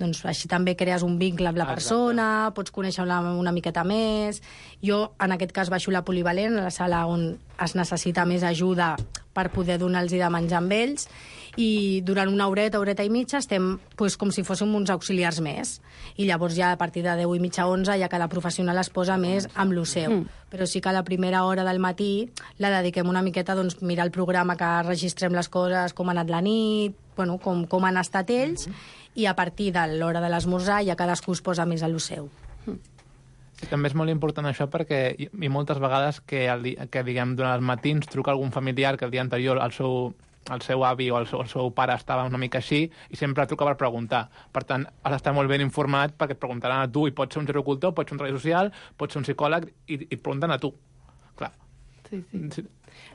Doncs així també crees un vincle amb la persona, exacte. Pots conèixer-la una miqueta més. Jo, en aquest cas, baixo la polivalent, a la sala on es necessita més ajuda per poder donar-los de menjar amb ells, i durant una horeta, horeta i mitja, estem pues, com si fóssim uns auxiliars més. I llavors ja a partir de deu i mitja, onze, ja cada professional es posa més amb lo seu. Mm. Però sí que a la primera hora del matí la dediquem una miqueta a doncs, mirar el programa, que registrem les coses, com ha anat la nit, bueno, com, com han estat ells, mm. i a partir de l'hora de l'esmorzar ja cadascú es posa més a lo seu. Sí, també és molt important això perquè hi, hi moltes vegades que, el, que diguem, durant els matins truca algun familiar que el dia anterior el seu, el seu avi o el seu, el seu pare estava una mica així i sempre truca per preguntar. Per tant, has d'estar molt ben informat perquè et preguntaran a tu, i pot ser un gerocultor, pot ser un treball social, pot ser un psicòleg, i, i et pregunten a tu. Clar. Sí, sí.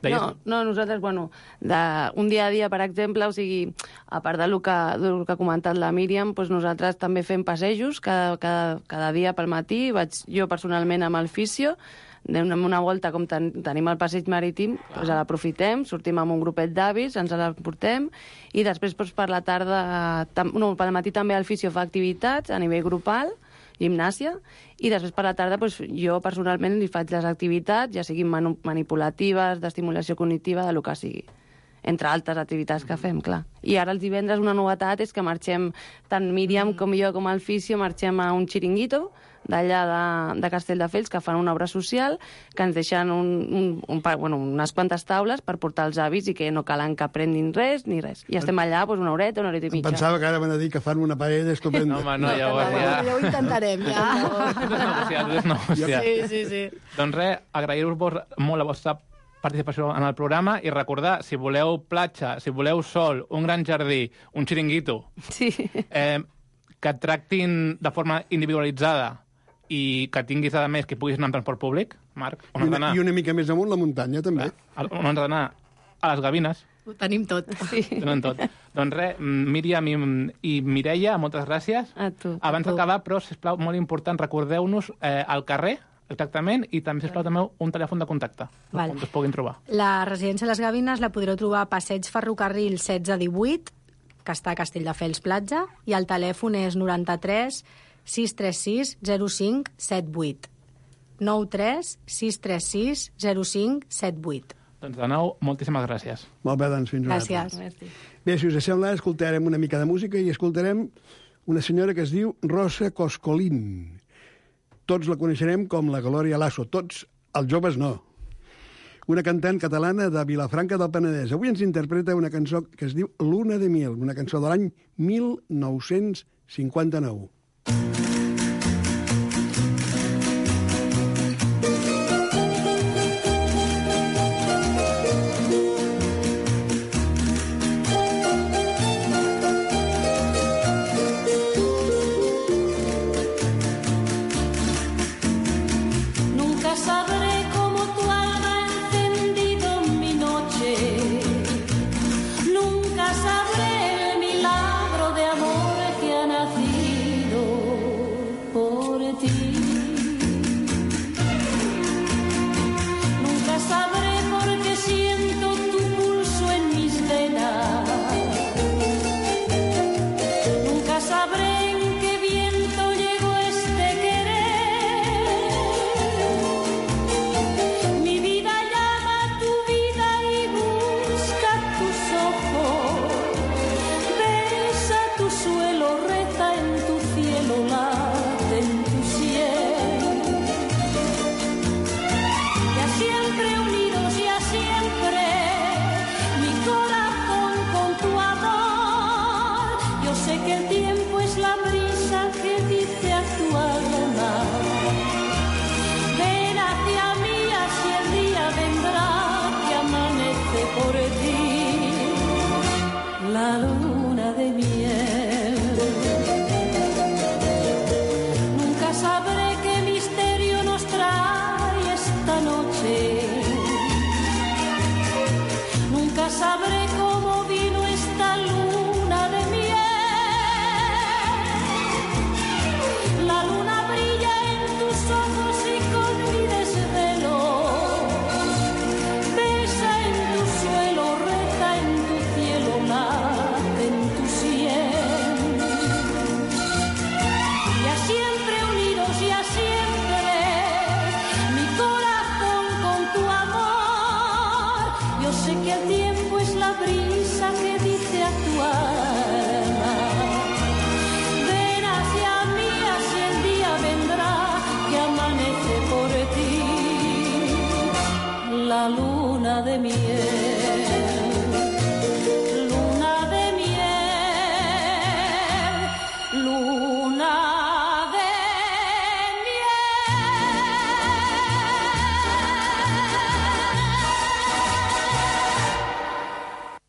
Deies... No, no, nosaltres, bueno, de, un dia a dia, per exemple, o sigui, a part del que, del que ha comentat la Míriam, doncs nosaltres també fem passejos cada, cada, cada dia pel matí. Vaig jo personalment amb el fisio, anem una volta, com ten, tenim el passeig marítim, doncs l'aprofitem, sortim amb un grupet d'avis, ens l'emportem, i després doncs, per la tarda, tam, no, pel matí també el fisio fa activitats a nivell grupal, gimnàsia, i després per la tarda doncs, jo personalment li faig les activitats, ja siguin manu manipulatives, d'estimulació cognitiva, de lo que sigui. Entre altres activitats que fem, clar. I ara els divendres una novetat és que marxem, tant Míriam com jo com el fisio, marxem a un xiringuito d'allà de, de Castelldefels, que fan una obra social, que ens deixen un, un, un, bueno, unes quantes taules per portar els avis i que no calen que aprenguin res ni res. I estem allà doncs, una horeta, una horeta i mitja. Pensava que ara van a dir que fan una paella estupenda. No, home, no, ja ho has dit. Ja ho intentarem, ja. Tot és negociat, tot és negociat. Sí, sí, sí. Doncs res, agrair-vos molt la vostra participació en el programa i recordar, si voleu platja, si voleu sol, un gran jardí, un xiringuito, sí. eh, que et tractin de forma individualitzada i que tinguis, a més, que puguis anar en transport públic, Marc, on has d'anar? I una mica més amunt la muntanya, també. On has d'anar? A les Gavines. Ho tenim tot. Sí. Tenen tot. Doncs res, Míriam i, i Mireia, moltes gràcies. A tu. Abans d'acabar, però, sisplau, molt important, recordeu-nos eh, el carrer, exactament, i també, sisplau, també un telèfon de contacte, Val. on es puguin trobar. La residència Les Gavines la podreu trobar a Passeig Ferrocarril setze divuit, que està a Castelldefels Platja, i el telèfon és noranta-tres sis tres sis zero cinc set vuit. nou tres sis tres sis zero cinc set vuit. Doncs de nou, moltíssimes gràcies. Molt bé, doncs fins una Gràcies. altra. Bé, si us sembla, escoltarem una mica de música i escoltarem una senyora que es diu Rosa Coscolín. Tots la coneixerem com la Glòria Lasso, tots, els joves no. Una cantant catalana de Vilafranca del Penedès. Avui ens interpreta una cançó que es diu Luna de Miel, una cançó de l'any mil nou-cents cinquanta-nou.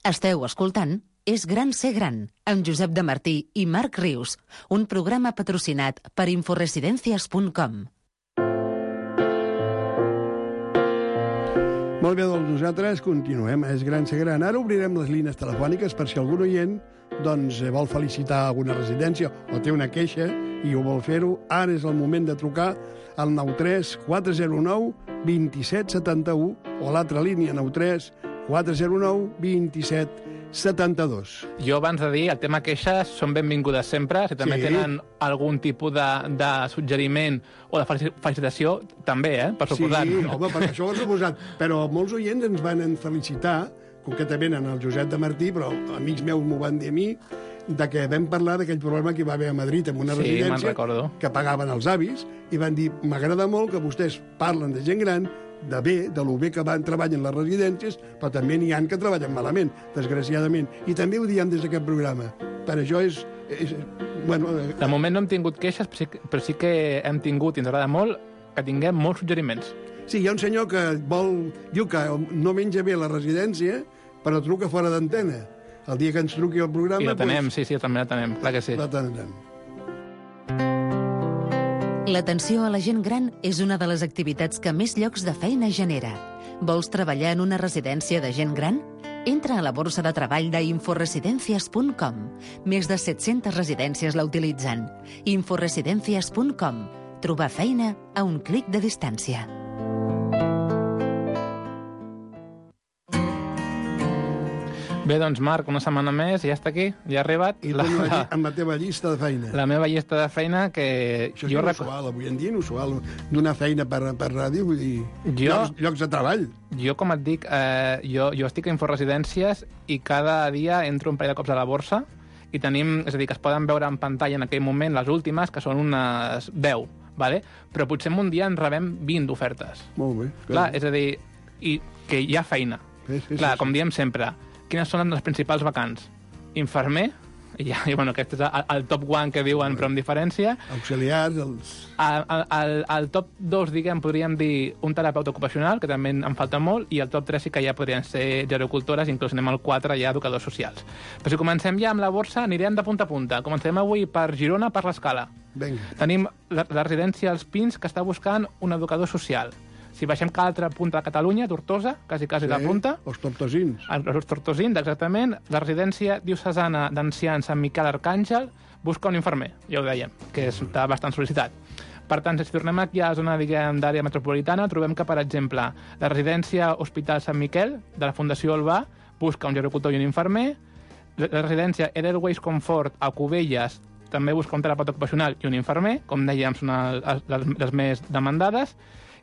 Esteu escoltant És gran ser gran, amb Josep de Martí i Marc Rius, un programa patrocinat per inforesidencias punt com. Molt bé, doncs nosaltres continuem. És Gran Segran. Ara obrirem les línies telefòniques per si algun oient doncs, vol felicitar alguna residència o té una queixa i ho vol fer-ho. Ara és el moment de trucar al nou tres quatre zero nou dos set set u o l'altra línia nou tres quatre zero nou dos set setanta dos. Jo, abans de dir, el tema queixes són benvingudes sempre. Si també Sí. tenen algun tipus de, de suggeriment o de felicitació, també, eh? Per suposat. Sí, home, per això ho he suposat. Però molts oients ens van felicitar, concretament en el Josep de Martí, però amics meus m'ho van dir a mi, de que vam parlar d'aquell problema que hi va haver a Madrid amb una Sí, me'n residència recordo. que pagaven els avis, i van dir, m'agrada molt que vostès parlen de gent gran, de bé, de lo bé que van treballar en les residències, però també n'hi ha que treballen malament, desgraciadament. I també ho diem des d'aquest programa. Per això és... és bueno, De moment no hem tingut queixes, però sí, que- però sí que hem tingut, i ens agrada molt, que tinguem molts suggeriments. sí, hi ha un senyor que vol... Diu que no menja bé a la residència, però truca fora d'antena. El dia que ens truqui el programa... I la tenem, doncs, sí, sí, també la tenem, clar que sí. la tindrem. L'atenció a la gent gran és una de les activitats que més llocs de feina genera. Vols treballar en una residència de gent gran? Entra a la borsa de treball d'inforesidencias punt com. Més de set-centes residències la utilitzen. inforesidencias punt com. Trobar feina a un clic de distància. Bé, doncs, Marc, una setmana més, ja està aquí, ja ha arribat. I la, la, amb la teva llista de feina. La meva llista de feina que... Això és jo inusual, avui en dia inusual, d'una feina per, per ràdio, vull dir, Jo- llocs, llocs de treball. Jo, com et dic, eh, jo, jo estic a Inforesidències i cada dia entro un parell de cops a la borsa i tenim, és a dir, que es poden veure en pantalla en aquell moment les últimes, que són unes deu, vale? Però potser en un dia en rebem vint d'ofertes. Molt bé. Clar, és a dir, i que hi ha feina. Sí, sí, Clar, sí, com diem sempre, quines són les principals vacants? Infermer, i, ja, i bueno, aquest és el, el top one que diuen, però amb diferència. Auxiliars, els... El, el, el top dos, diguem, podríem dir un terapeuta ocupacional, que també en falta molt, i el top tres sí que ja podrien ser gerocultores, inclús anem al quatre ja educadors socials. Però si comencem ja amb la borsa, anirem de punta a punta. Comencem avui per Girona, per l'Escala. Vinga. Tenim la, la residència Els Pins, que està buscant un educador social. Si baixem cada altra punta de Catalunya, Tortosa, quasi, quasi sí, la punta. Els tortosins. Els tortosins, exactament. La residència diocesana d'ancians Sant Miquel Arcàngel busca un infermer, ja ho dèiem, que està bastant sol·licitat. Per tant, si tornem aquí a la zona, diguem, d'àrea metropolitana, trobem que, per exemple, la residència Hospital Sant Miquel, de la Fundació Olbà, busca un gerocultor i un infermer. La residència Edelweiss Comfort a Cubelles també busca un terapeuta ocupacional i un infermer, com dèiem, són les, les, les més demandades.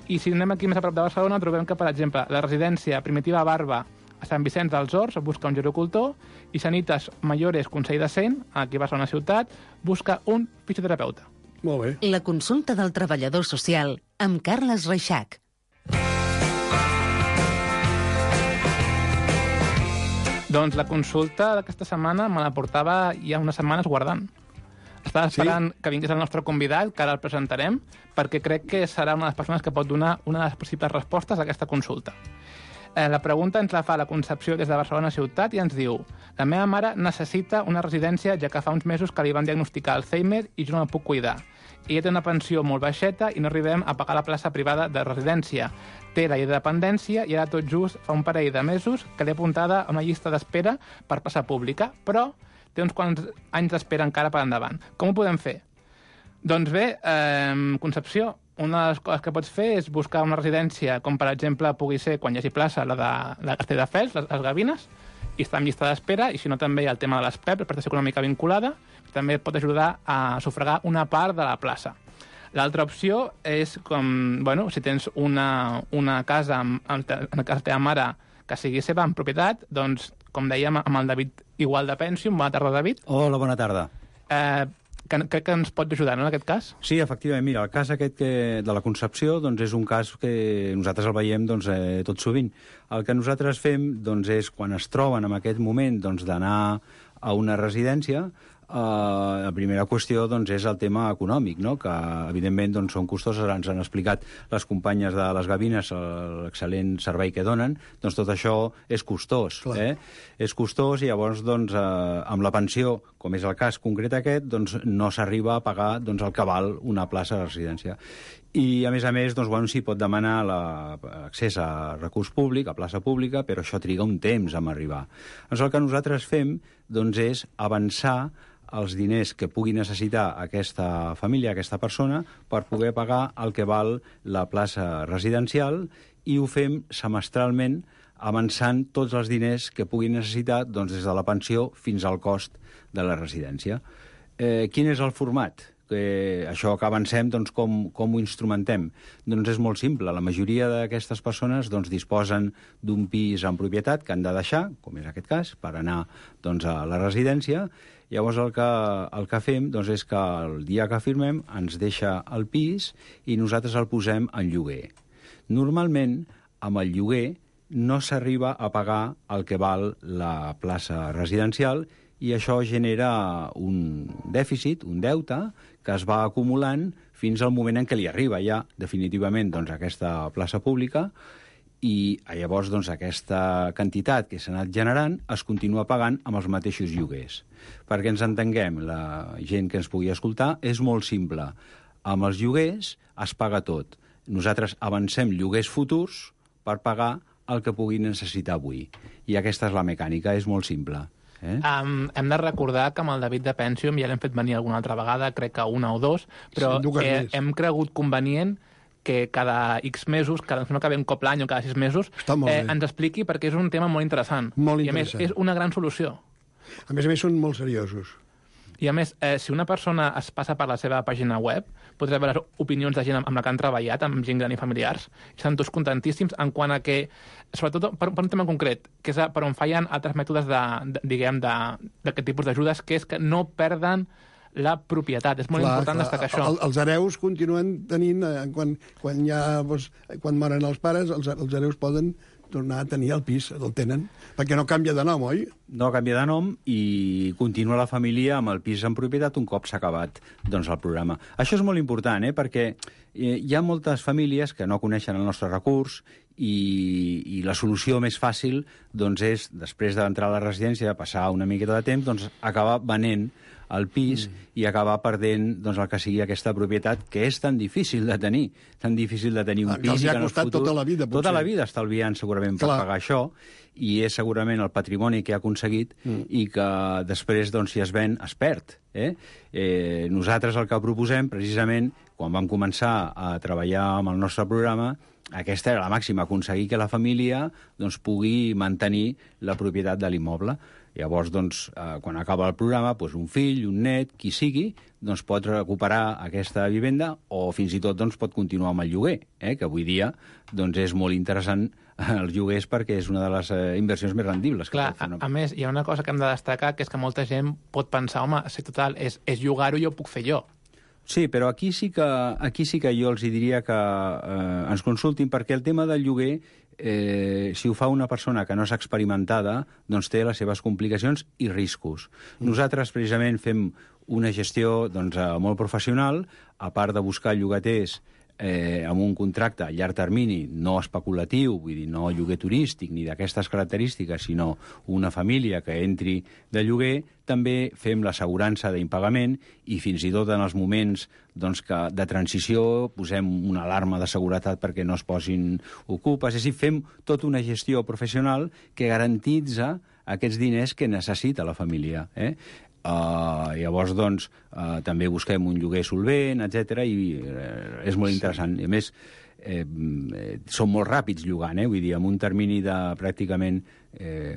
I si anem aquí més a prop de Barcelona, trobem que, per exemple, la residència Primitiva Barba a Sant Vicenç dels Horts busca un gerocultor i Sanitas Mayores Consell de Cent, aquí a Barcelona ciutat, busca un fisioterapeuta. Molt bé. La consulta del treballador social amb Carles Reixac. Doncs la consulta d'aquesta setmana me la portava ja unes setmanes guardant. Estava esperant sí? que vingués el nostre convidat, que ara el presentarem, perquè crec que serà una de les persones que pot donar una de les possibles respostes a aquesta consulta. Eh, la pregunta ens la fa la Concepció des de Barcelona ciutat i ens diu: la meva mare necessita una residència ja que fa uns mesos que li van diagnosticar Alzheimer i jo no la puc cuidar. Ella té una pensió molt baixeta i no arribem a pagar la plaça privada de residència. Té la llei de dependència i ara tot just fa un parell de mesos que l'he apuntada a una llista d'espera per plaça pública, però té uns quants anys d'espera encara per endavant. Com ho podem fer? Doncs bé, eh, Concepció, una de les coses que pots fer és buscar una residència, com per exemple pugui ser, quan hi hagi plaça, la de la Castelldefels, les, les Gavines, i està en llista d'espera, i si no també hi ha el tema de les P E P, la prestació econòmica vinculada, també et pot ajudar a sufragar una part de la plaça. L'altra opció és, com, bueno, si tens una, una casa, amb, amb, en el cas de la teva mare, que sigui seva en propietat, doncs, com dèiem, amb el David Igual de Pensium. Bona tarda, David. Hola, bona tarda. Eh, que, que, que ens pot ajudar, no, en aquest cas? Sí, efectivament. Mira, el cas aquest que, de la Concepció doncs, és un cas que nosaltres el veiem doncs, eh, tot sovint. El que nosaltres fem doncs, és, quan es troben en aquest moment doncs, d'anar a una residència, Uh, la primera qüestió doncs, és el tema econòmic, no? Que evidentment doncs, són costoses, ens han explicat les companyes de les gavines l'excel·lent servei que donen, doncs tot això és costós. Eh? És costós i llavors doncs, uh, amb la pensió, com és el cas concret aquest, doncs, no s'arriba a pagar doncs, el que val una plaça de residència. I, a més a més, doncs, bueno, s'hi pot demanar l'accés a recurs públic, a plaça pública, però això triga un temps en arribar. Doncs el que nosaltres fem doncs, és avançar els diners que pugui necessitar aquesta família, aquesta persona, per poder pagar el que val la plaça residencial, i ho fem semestralment avançant tots els diners que pugui necessitar doncs, des de la pensió fins al cost de la residència. Eh, quin és el format? Que això que avancem, doncs, com, com ho instrumentem? Doncs és molt simple. La majoria d'aquestes persones doncs, disposen d'un pis en propietat que han de deixar, com és aquest cas, per anar doncs, a la residència. Llavors el que, el que fem doncs, és que el dia que firmem ens deixa el pis i nosaltres el posem en lloguer. Normalment, amb el lloguer no s'arriba a pagar el que val la plaça residencial i això genera un dèficit, un deute, que es va acumulant fins al moment en què li arriba ja definitivament doncs, aquesta plaça pública, i llavors doncs, aquesta quantitat que s'ha anat generant es continua pagant amb els mateixos lloguers. Perquè ens entenguem, la gent que ens pugui escoltar, és molt simple. Amb els lloguers es paga tot. Nosaltres avancem lloguers futurs per pagar el que pugui necessitar avui. I aquesta és la mecànica, és molt simple. Eh? Um, hem de recordar que amb el David de Pensium ja l'hem fet venir alguna altra vegada, crec que una o dos, però sí, eh, hem cregut convenient que cada X mesos, cada, no que ve un cop l'any o cada sis mesos, eh, ens expliqui, perquè és un tema molt interessant. Molt I a més, és una gran solució. A més a més, són molt seriosos. I a més, eh, si una persona es passa per la seva pàgina web, podrà veure les opinions de gent amb la que han treballat, amb gent gran i familiars, i estan tots contentíssims en quant a que, sobretot per, per un tema concret, que és per on fallen altres mètodes de, de, diguem, d'aquest tipus d'ajudes, que és que no perden la propietat. És molt clar, important clar. destacar això. El, els hereus continuen tenint, eh, quan, quan, ja, doncs, quan moren els pares, els, els hereus poden tornar a tenir el pis, el tenen, perquè no canvia de nom, oi? No canvia de nom i continua la família amb el pis en propietat un cop s'ha acabat doncs, el programa. Això és molt important, eh, perquè hi ha moltes famílies que no coneixen el nostre recurs i, i la solució més fàcil doncs, és, després d'entrar a la residència, passar una miqueta de temps, doncs, acabar venent el pis mm. i acabar perdent doncs, el que sigui aquesta propietat, que és tan difícil de tenir, tan difícil de tenir un que pis. Els i ha costat futur, tota la vida, potser. Tota la vida estalviant segurament per Clar. pagar això, i és segurament el patrimoni que ha aconseguit mm. i que després, doncs, si es ven, es perd. Eh? Eh, nosaltres el que proposem, precisament, quan vam començar a treballar amb el nostre programa, aquesta era la màxima, aconseguir que la família doncs, pugui mantenir la propietat de l'immoble. Llavors, doncs, eh, quan acaba el programa, doncs un fill, un net, qui sigui, doncs pot recuperar aquesta vivenda o fins i tot doncs, pot continuar amb el lloguer, eh, que avui dia doncs, és molt interessant els lloguers perquè és una de les eh, inversions més rendibles. Clar, a, a més, hi ha una cosa que hem de destacar, que és que molta gent pot pensar, home, si total, és, és llogar-ho, jo ho puc fer jo. Sí, però aquí sí que, aquí sí que jo els diria que eh, ens consultin, perquè el tema del lloguer, eh, si ho fa una persona que no és experimentada, doncs té les seves complicacions i riscos. Mm. Nosaltres, precisament, fem una gestió doncs, molt professional, a part de buscar llogaters eh, amb un contracte a llarg termini, no especulatiu, vull dir, no lloguer turístic ni d'aquestes característiques, sinó una família que entri de lloguer, també fem l'assegurança d'impagament i fins i tot en els moments doncs, que de transició posem una alarma de seguretat perquè no es posin ocupes. És a dir, fem tota una gestió professional que garantitza aquests diners que necessita la família. Eh? Uh, llavors, doncs, uh, també busquem un lloguer solvent, etcètera, i uh, és molt interessant. I a més, eh, eh, són molt ràpids llogant, eh? Vull dir, en un termini de pràcticament eh,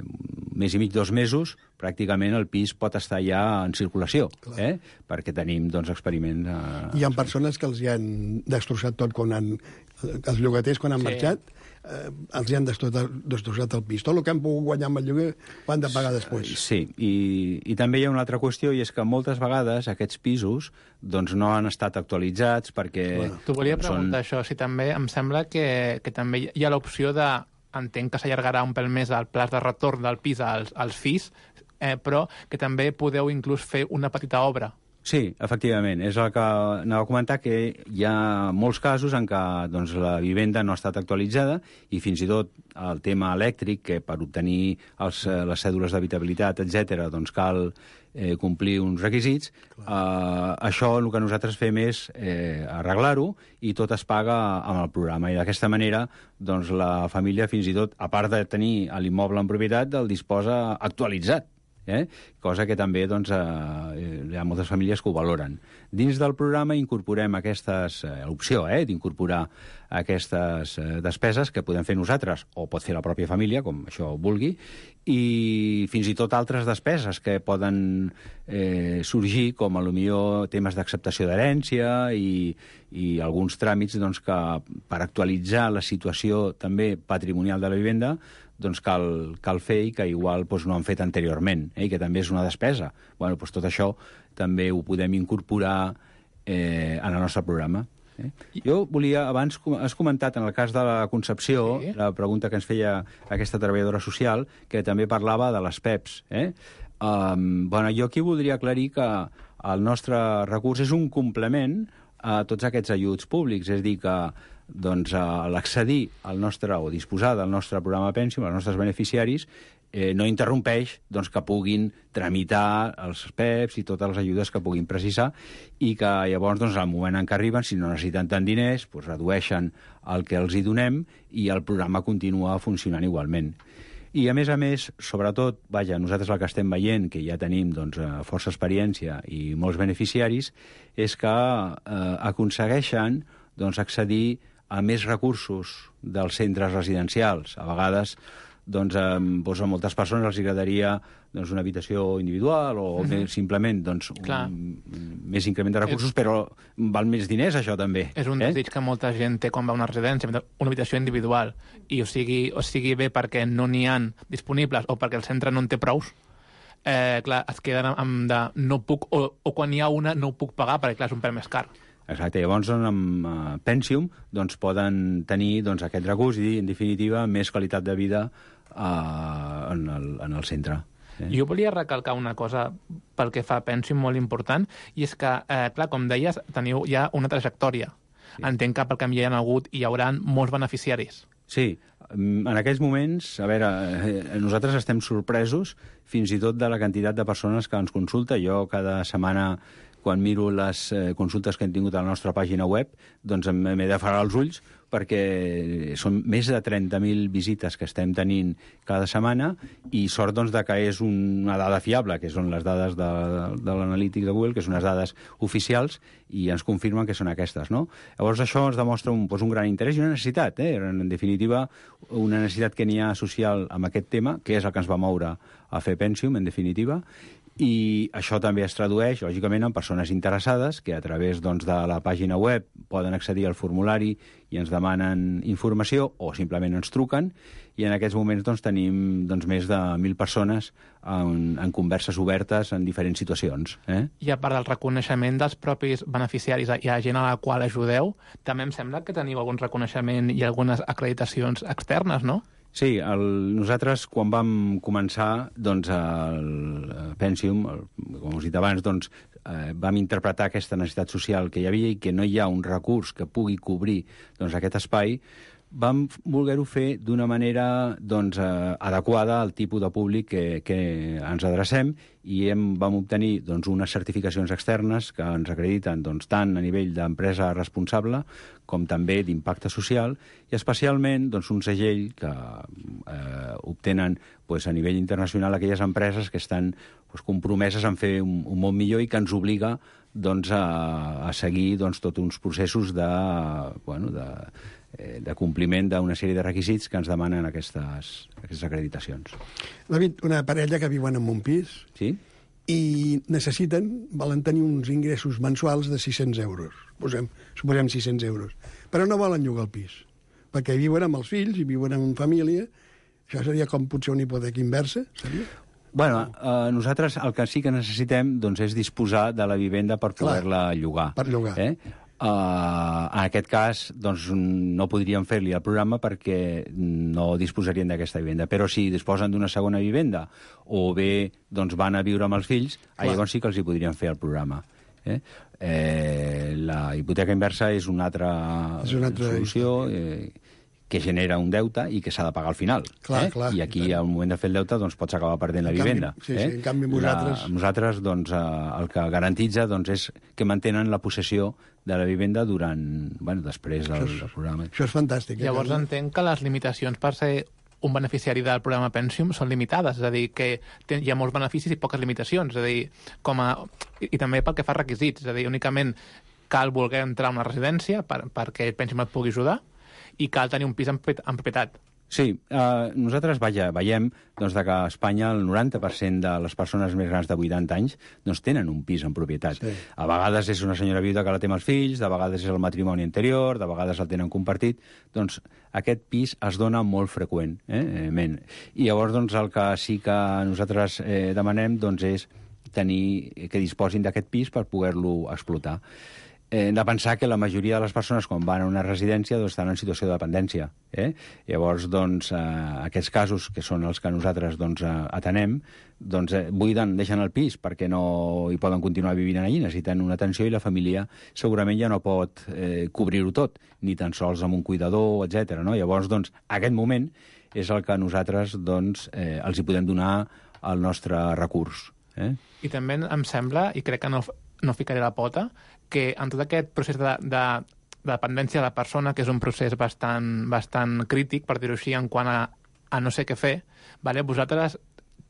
més i mig, dos mesos, pràcticament el pis pot estar ja en circulació, eh? Perquè tenim, doncs, experiments... Uh, Hi ha persones que els hi han destrossat tot quan han... Els llogaters, quan han sí. marxat, eh, els hi han destrossat el pis. Tot el que han pogut guanyar amb el lloguer ho han de pagar després. Sí, i, i també hi ha una altra qüestió, i és que moltes vegades aquests pisos doncs, no han estat actualitzats perquè... Bueno, T'ho volia preguntar, són... això, si també em sembla que, que també hi ha l'opció de... Entenc que s'allargarà un pèl més el pla de retorn del pis als, als fills, eh, però que també podeu inclús fer una petita obra. Sí, efectivament. És el que anava a comentar, que hi ha molts casos en què doncs, la vivenda no ha estat actualitzada i fins i tot el tema elèctric, que per obtenir els, les cèdules d'habitabilitat, etcètera, doncs cal eh, complir uns requisits. Eh, això el que nosaltres fem és eh, arreglar-ho i tot es paga amb el programa. I d'aquesta manera doncs, la família, fins i tot, a part de tenir l'immoble en propietat, el disposa actualitzat. Eh? Cosa que també doncs, eh, hi ha moltes famílies que ho valoren. Dins del programa incorporem aquestes, eh, l'opció eh, d'incorporar aquestes eh, despeses que podem fer nosaltres, o pot fer la pròpia família, com això vulgui, i fins i tot altres despeses que poden eh, sorgir, com potser temes d'acceptació d'herència i, i alguns tràmits doncs, que per actualitzar la situació també patrimonial de la vivenda doncs cal, cal fer i que igual doncs, no han fet anteriorment, eh, i que també és una despesa. Bueno, doncs tot això també ho podem incorporar eh, en el nostre programa. Eh? Jo volia, abans has comentat en el cas de la Concepció, sí. La pregunta que ens feia aquesta treballadora social, que també parlava de les P E Ps. Eh? Um, bueno, jo aquí voldria aclarir que el nostre recurs és un complement a tots aquests ajuts públics, és a dir, que doncs, l'accedir al nostre, o disposar del nostre programa Pensium, als nostres beneficiaris, eh, no interrompeix doncs, que puguin tramitar els P E Ps i totes les ajudes que puguin precisar i que llavors, doncs, al moment en què arriben, si no necessiten tant diners, doncs, redueixen el que els hi donem i el programa continua funcionant igualment. I, a més a més, sobretot, vaja, nosaltres el que estem veient, que ja tenim doncs, força experiència i molts beneficiaris, és que eh, aconsegueixen doncs, accedir a més recursos dels centres residencials. A vegades, doncs, a, doncs, a moltes persones els agradaria doncs, una habitació individual o uh-huh. més, simplement doncs, un, més increment de recursos, és... però val més diners, això també. És un eh? desig que molta gent té quan va a una residència, una habitació individual, i o sigui, o sigui bé perquè no n'hi ha disponibles o perquè el centre no en té prous, eh, clar, es queden amb de no puc, o, o quan hi ha una no ho puc pagar perquè clar, és un preu més car. Exacte, llavors doncs, amb uh, Pensium doncs, poden tenir doncs, aquest recurs i, en definitiva, més qualitat de vida uh, en, el, en el centre. Eh? Jo volia recalcar una cosa pel que fa a Pensium molt important, i és que, eh, clar, com deies, teniu ja una trajectòria. Sí. Entenc que pel canvi hi ha hagut i hi haurà molts beneficiaris. Sí, en aquells moments, a veure, eh, nosaltres estem sorpresos fins i tot de la quantitat de persones que ens consulta. Jo cada setmana, quan miro les eh, consultes que hem tingut a la nostra pàgina web, doncs m'he de parar els ulls perquè són més de trenta mil visites que estem tenint cada setmana i sort doncs, de que és una dada fiable, que són les dades de, de l'analític de Google, que són unes dades oficials i ens confirmen que són aquestes, no? Llavors això ens demostra un, doncs, un gran interès i una necessitat, eh? En definitiva, una necessitat que n'hi ha social amb aquest tema, que és el que ens va moure a fer Pensium, en definitiva, i això també es tradueix, lògicament, en persones interessades que a través doncs, de la pàgina web poden accedir al formulari i ens demanen informació o simplement ens truquen i en aquests moments doncs, tenim doncs, més de mil persones en, en converses obertes en diferents situacions. Eh? I a part del reconeixement dels propis beneficiaris, hi ha gent a la qual ajudeu, també em sembla que teniu algun reconeixement i algunes acreditacions externes, no? Sí, el, nosaltres quan vam començar doncs, el Pensium, el, com us he dit abans, doncs, eh, vam interpretar aquesta necessitat social que hi havia i que no hi ha un recurs que pugui cobrir doncs, aquest espai, vam voler-ho fer d'una manera doncs, eh, adequada al tipus de públic que, que ens adrecem i hem, vam obtenir doncs, unes certificacions externes que ens acrediten doncs, tant a nivell d'empresa responsable com també d'impacte social i especialment doncs, un segell que eh, obtenen doncs, a nivell internacional aquelles empreses que estan doncs, compromeses en fer un, un món millor i que ens obliga doncs, a, a seguir doncs, tots uns processos de, bueno, de, de compliment d'una sèrie de requisits que ens demanen aquestes, aquestes acreditacions. David, una parella que viuen en un pis sí? i necessiten, volen tenir uns ingressos mensuals de sis-cents euros. Posem, suposem sis-cents euros. Però no volen llogar el pis, perquè viuen amb els fills i viuen en família. Això seria com potser una hipoteca inversa? Seria? Bueno, eh, nosaltres el que sí que necessitem doncs, és disposar de la vivenda per poder-la llogar. Per llogar. Eh? Uh, en aquest cas, doncs, no podríem fer-li el programa perquè no disposarien d'aquesta vivenda. Però si disposen d'una segona vivenda o bé doncs, van a viure amb els fills, llavors sí que els hi podrien fer el programa. Eh? Eh, la hipoteca inversa és una altra, és una altra solució eh, que genera un deute i que s'ha de pagar al final. Clar, eh? clar, I aquí, clar. al moment de fer el deute, doncs, pots acabar perdent la canvi, vivenda. Sí, eh? sí, en canvi, vosaltres... La, nosaltres, doncs, eh, el que garantitza doncs, és que mantenen la possessió de la vivenda durant, bueno, després del, és, del programa. Això és fantàstic. Eh? Llavors entenc que les limitacions per ser un beneficiari del programa Pensium són limitades, és a dir, que ten, hi ha molts beneficis i poques limitacions, és a dir, com a... I, i també pel que fa requisits, és a dir, únicament cal voler entrar a una residència per, perquè Pensium et pugui ajudar i cal tenir un pis en, en propietat. Sí, eh, nosaltres vaja, veiem doncs, que a Espanya el noranta per cent de les persones més grans de vuitanta anys doncs, tenen un pis en propietat. Sí. A vegades és una senyora viuda que la té amb els fills, de vegades és el matrimoni anterior, de vegades el tenen compartit. Doncs aquest pis es dona molt freqüent. Eh? I llavors doncs, el que sí que nosaltres eh, demanem doncs, és tenir, que disposin d'aquest pis per poder-lo explotar. Hem de pensar que la majoria de les persones quan van a una residència doncs, estan en situació de dependència. Eh? Llavors, doncs, eh, aquests casos, que són els que nosaltres doncs, atenem, doncs, eh, buiden, deixen el pis perquè no hi poden continuar vivint allí, necessiten una atenció i la família segurament ja no pot eh, cobrir-ho tot, ni tan sols amb un cuidador, etcètera. No? Llavors, doncs, aquest moment és el que nosaltres doncs, eh, els hi podem donar el nostre recurs. Eh? I també em sembla, i crec que no, no ficaré la pota, que en tot aquest procés de, de, de dependència de la persona, que és un procés bastant, bastant crític, per dir-ho així, en quant a, a no sé què fer, vale? Vosaltres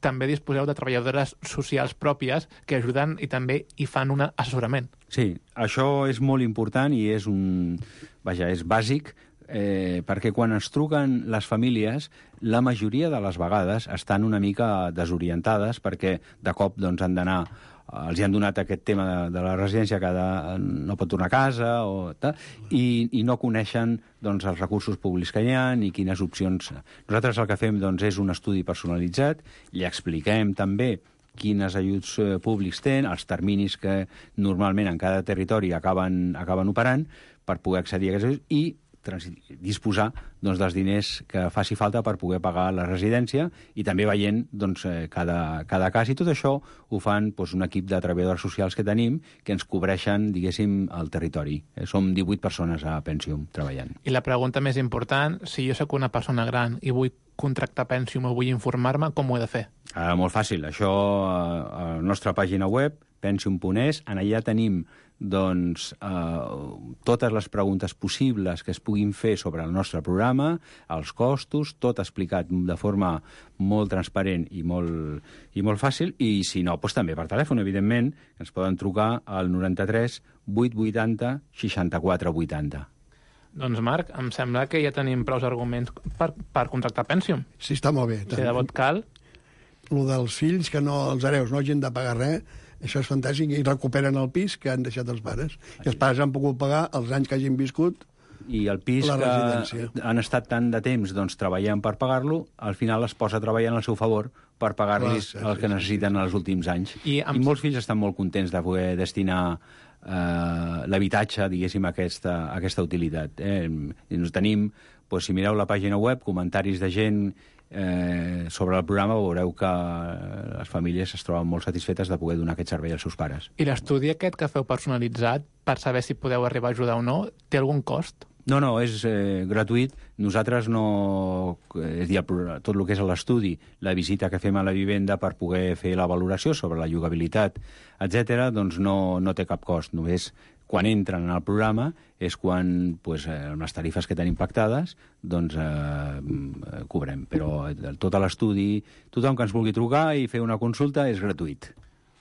també disposeu de treballadores socials pròpies que ajuden i també hi fan un assessorament. Sí, això és molt important i és un... Vaja, és bàsic, eh, perquè quan ens truquen les famílies, la majoria de les vegades estan una mica desorientades perquè de cop doncs, han d'anar els hi han donat aquest tema de, de la residència que de, no pot tornar a casa o tal, i, i no coneixen doncs, els recursos públics que hi ha i quines opcions. Nosaltres el que fem doncs, és un estudi personalitzat, li expliquem també quines ajuts eh, públics tenen, els terminis que normalment en cada territori acaben, acaben operant per poder accedir a aquests ajuts i disposar doncs, dels diners que faci falta per poder pagar la residència i també veient doncs, cada, cada cas. I tot això ho fan doncs, un equip de treballadors socials que tenim que ens cobreixen, diguéssim, el territori. Eh, som divuit persones a Pensium treballant. I la pregunta més important, si jo sóc una persona gran i vull contractar Pensium o vull informar-me, com ho he de fer? Ah, molt fàcil. Això a la nostra pàgina web, pensium punt es, en allà tenim doncs, eh, totes les preguntes possibles que es puguin fer sobre el nostre programa, els costos, tot explicat de forma molt transparent i molt, i molt fàcil, i si no, doncs també per telèfon, evidentment, ens poden trucar al noranta-tres vuit vuitanta seixanta-quatre vuitanta. Doncs, Marc, em sembla que ja tenim prou arguments per, per contractar Pensium. Sí, està molt bé. Si de vot cal... Lo dels fills, que no, els hereus no hagin de pagar res, això és fantàstic, i recuperen el pis que han deixat els pares. I els pares han pogut pagar els anys que hagin viscut i el pis la que residència. Han estat tant de temps doncs, treballant per pagar-lo, al final es posa treballant al seu favor per pagar-los el que necessiten en els últims anys. I, amb... I molts fills estan molt contents de poder destinar eh, l'habitatge, diguéssim, a aquesta, a aquesta utilitat. Eh? I ens tenim, doncs, si mireu la pàgina web, comentaris de gent eh, sobre el programa, veureu que les famílies es troben molt satisfetes de poder donar aquest servei als seus pares. I l'estudi aquest que feu personalitzat per saber si podeu arribar a ajudar o no, té algun cost? No, no, és eh, gratuït. Nosaltres no... És dir, tot el que és l'estudi, la visita que fem a la vivenda per poder fer la valoració sobre la llogabilitat, etcètera, doncs no, no té cap cost. Només quan entren en el programa és quan, pues, eh, les tarifes que tenim pactades, doncs eh, cobrem. Però tot l'estudi, tothom que ens vulgui trucar i fer una consulta és gratuït.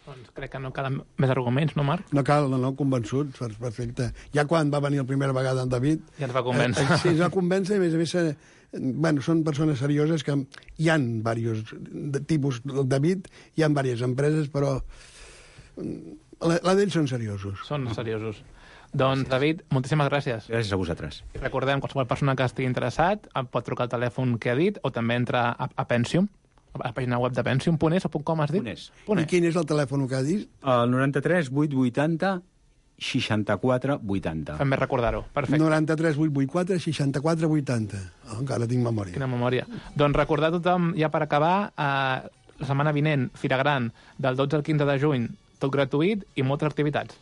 Doncs crec que no calen més arguments, no, Marc? No cal, no, no, convençut, perfecte. Ja quan va venir la primera vegada en David... Ja ens va convèncer. Eh, sí, ens va convèncer, i a més a més, eh, bueno, són persones serioses que hi ha diversos de tipus. El David, hi ha diverses empreses, però la, la d'ells són seriosos. Són seriosos. Doncs, David, moltíssimes gràcies. Gràcies a vosaltres. Recordem, qualsevol persona que estigui interessat pot trucar al telèfon que ha dit o també entrar a, a Pensium, a la pàgina web de pensium punt es o .com has dit? Punt es. I quin és el telèfon que ha dit? El noranta-tres vuit vuitanta seixanta-quatre vuitanta. Fem més recordar-ho. Perfecte. noranta-tres vuit vuit quatre seixanta-quatre vuitanta. Oh, encara tinc memòria. Quina memòria. Doncs recordar a tothom, ja per acabar, eh, la setmana vinent, Fira Gran, del dotze al quinze de juny, tot gratuït i moltes activitats.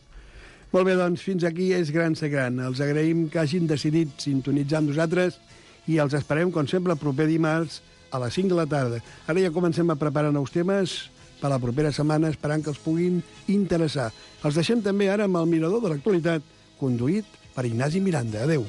Molt bé, doncs, fins aquí és Gran Ser Gran. Els agraïm que hagin decidit sintonitzar amb nosaltres i els esperem, com sempre, el proper dimarts a les cinc de la tarda. Ara ja comencem a preparar nous temes per la propera setmana, esperant que els puguin interessar. Els deixem també ara amb el mirador de l'actualitat, conduït per Ignasi Miranda. Adéu.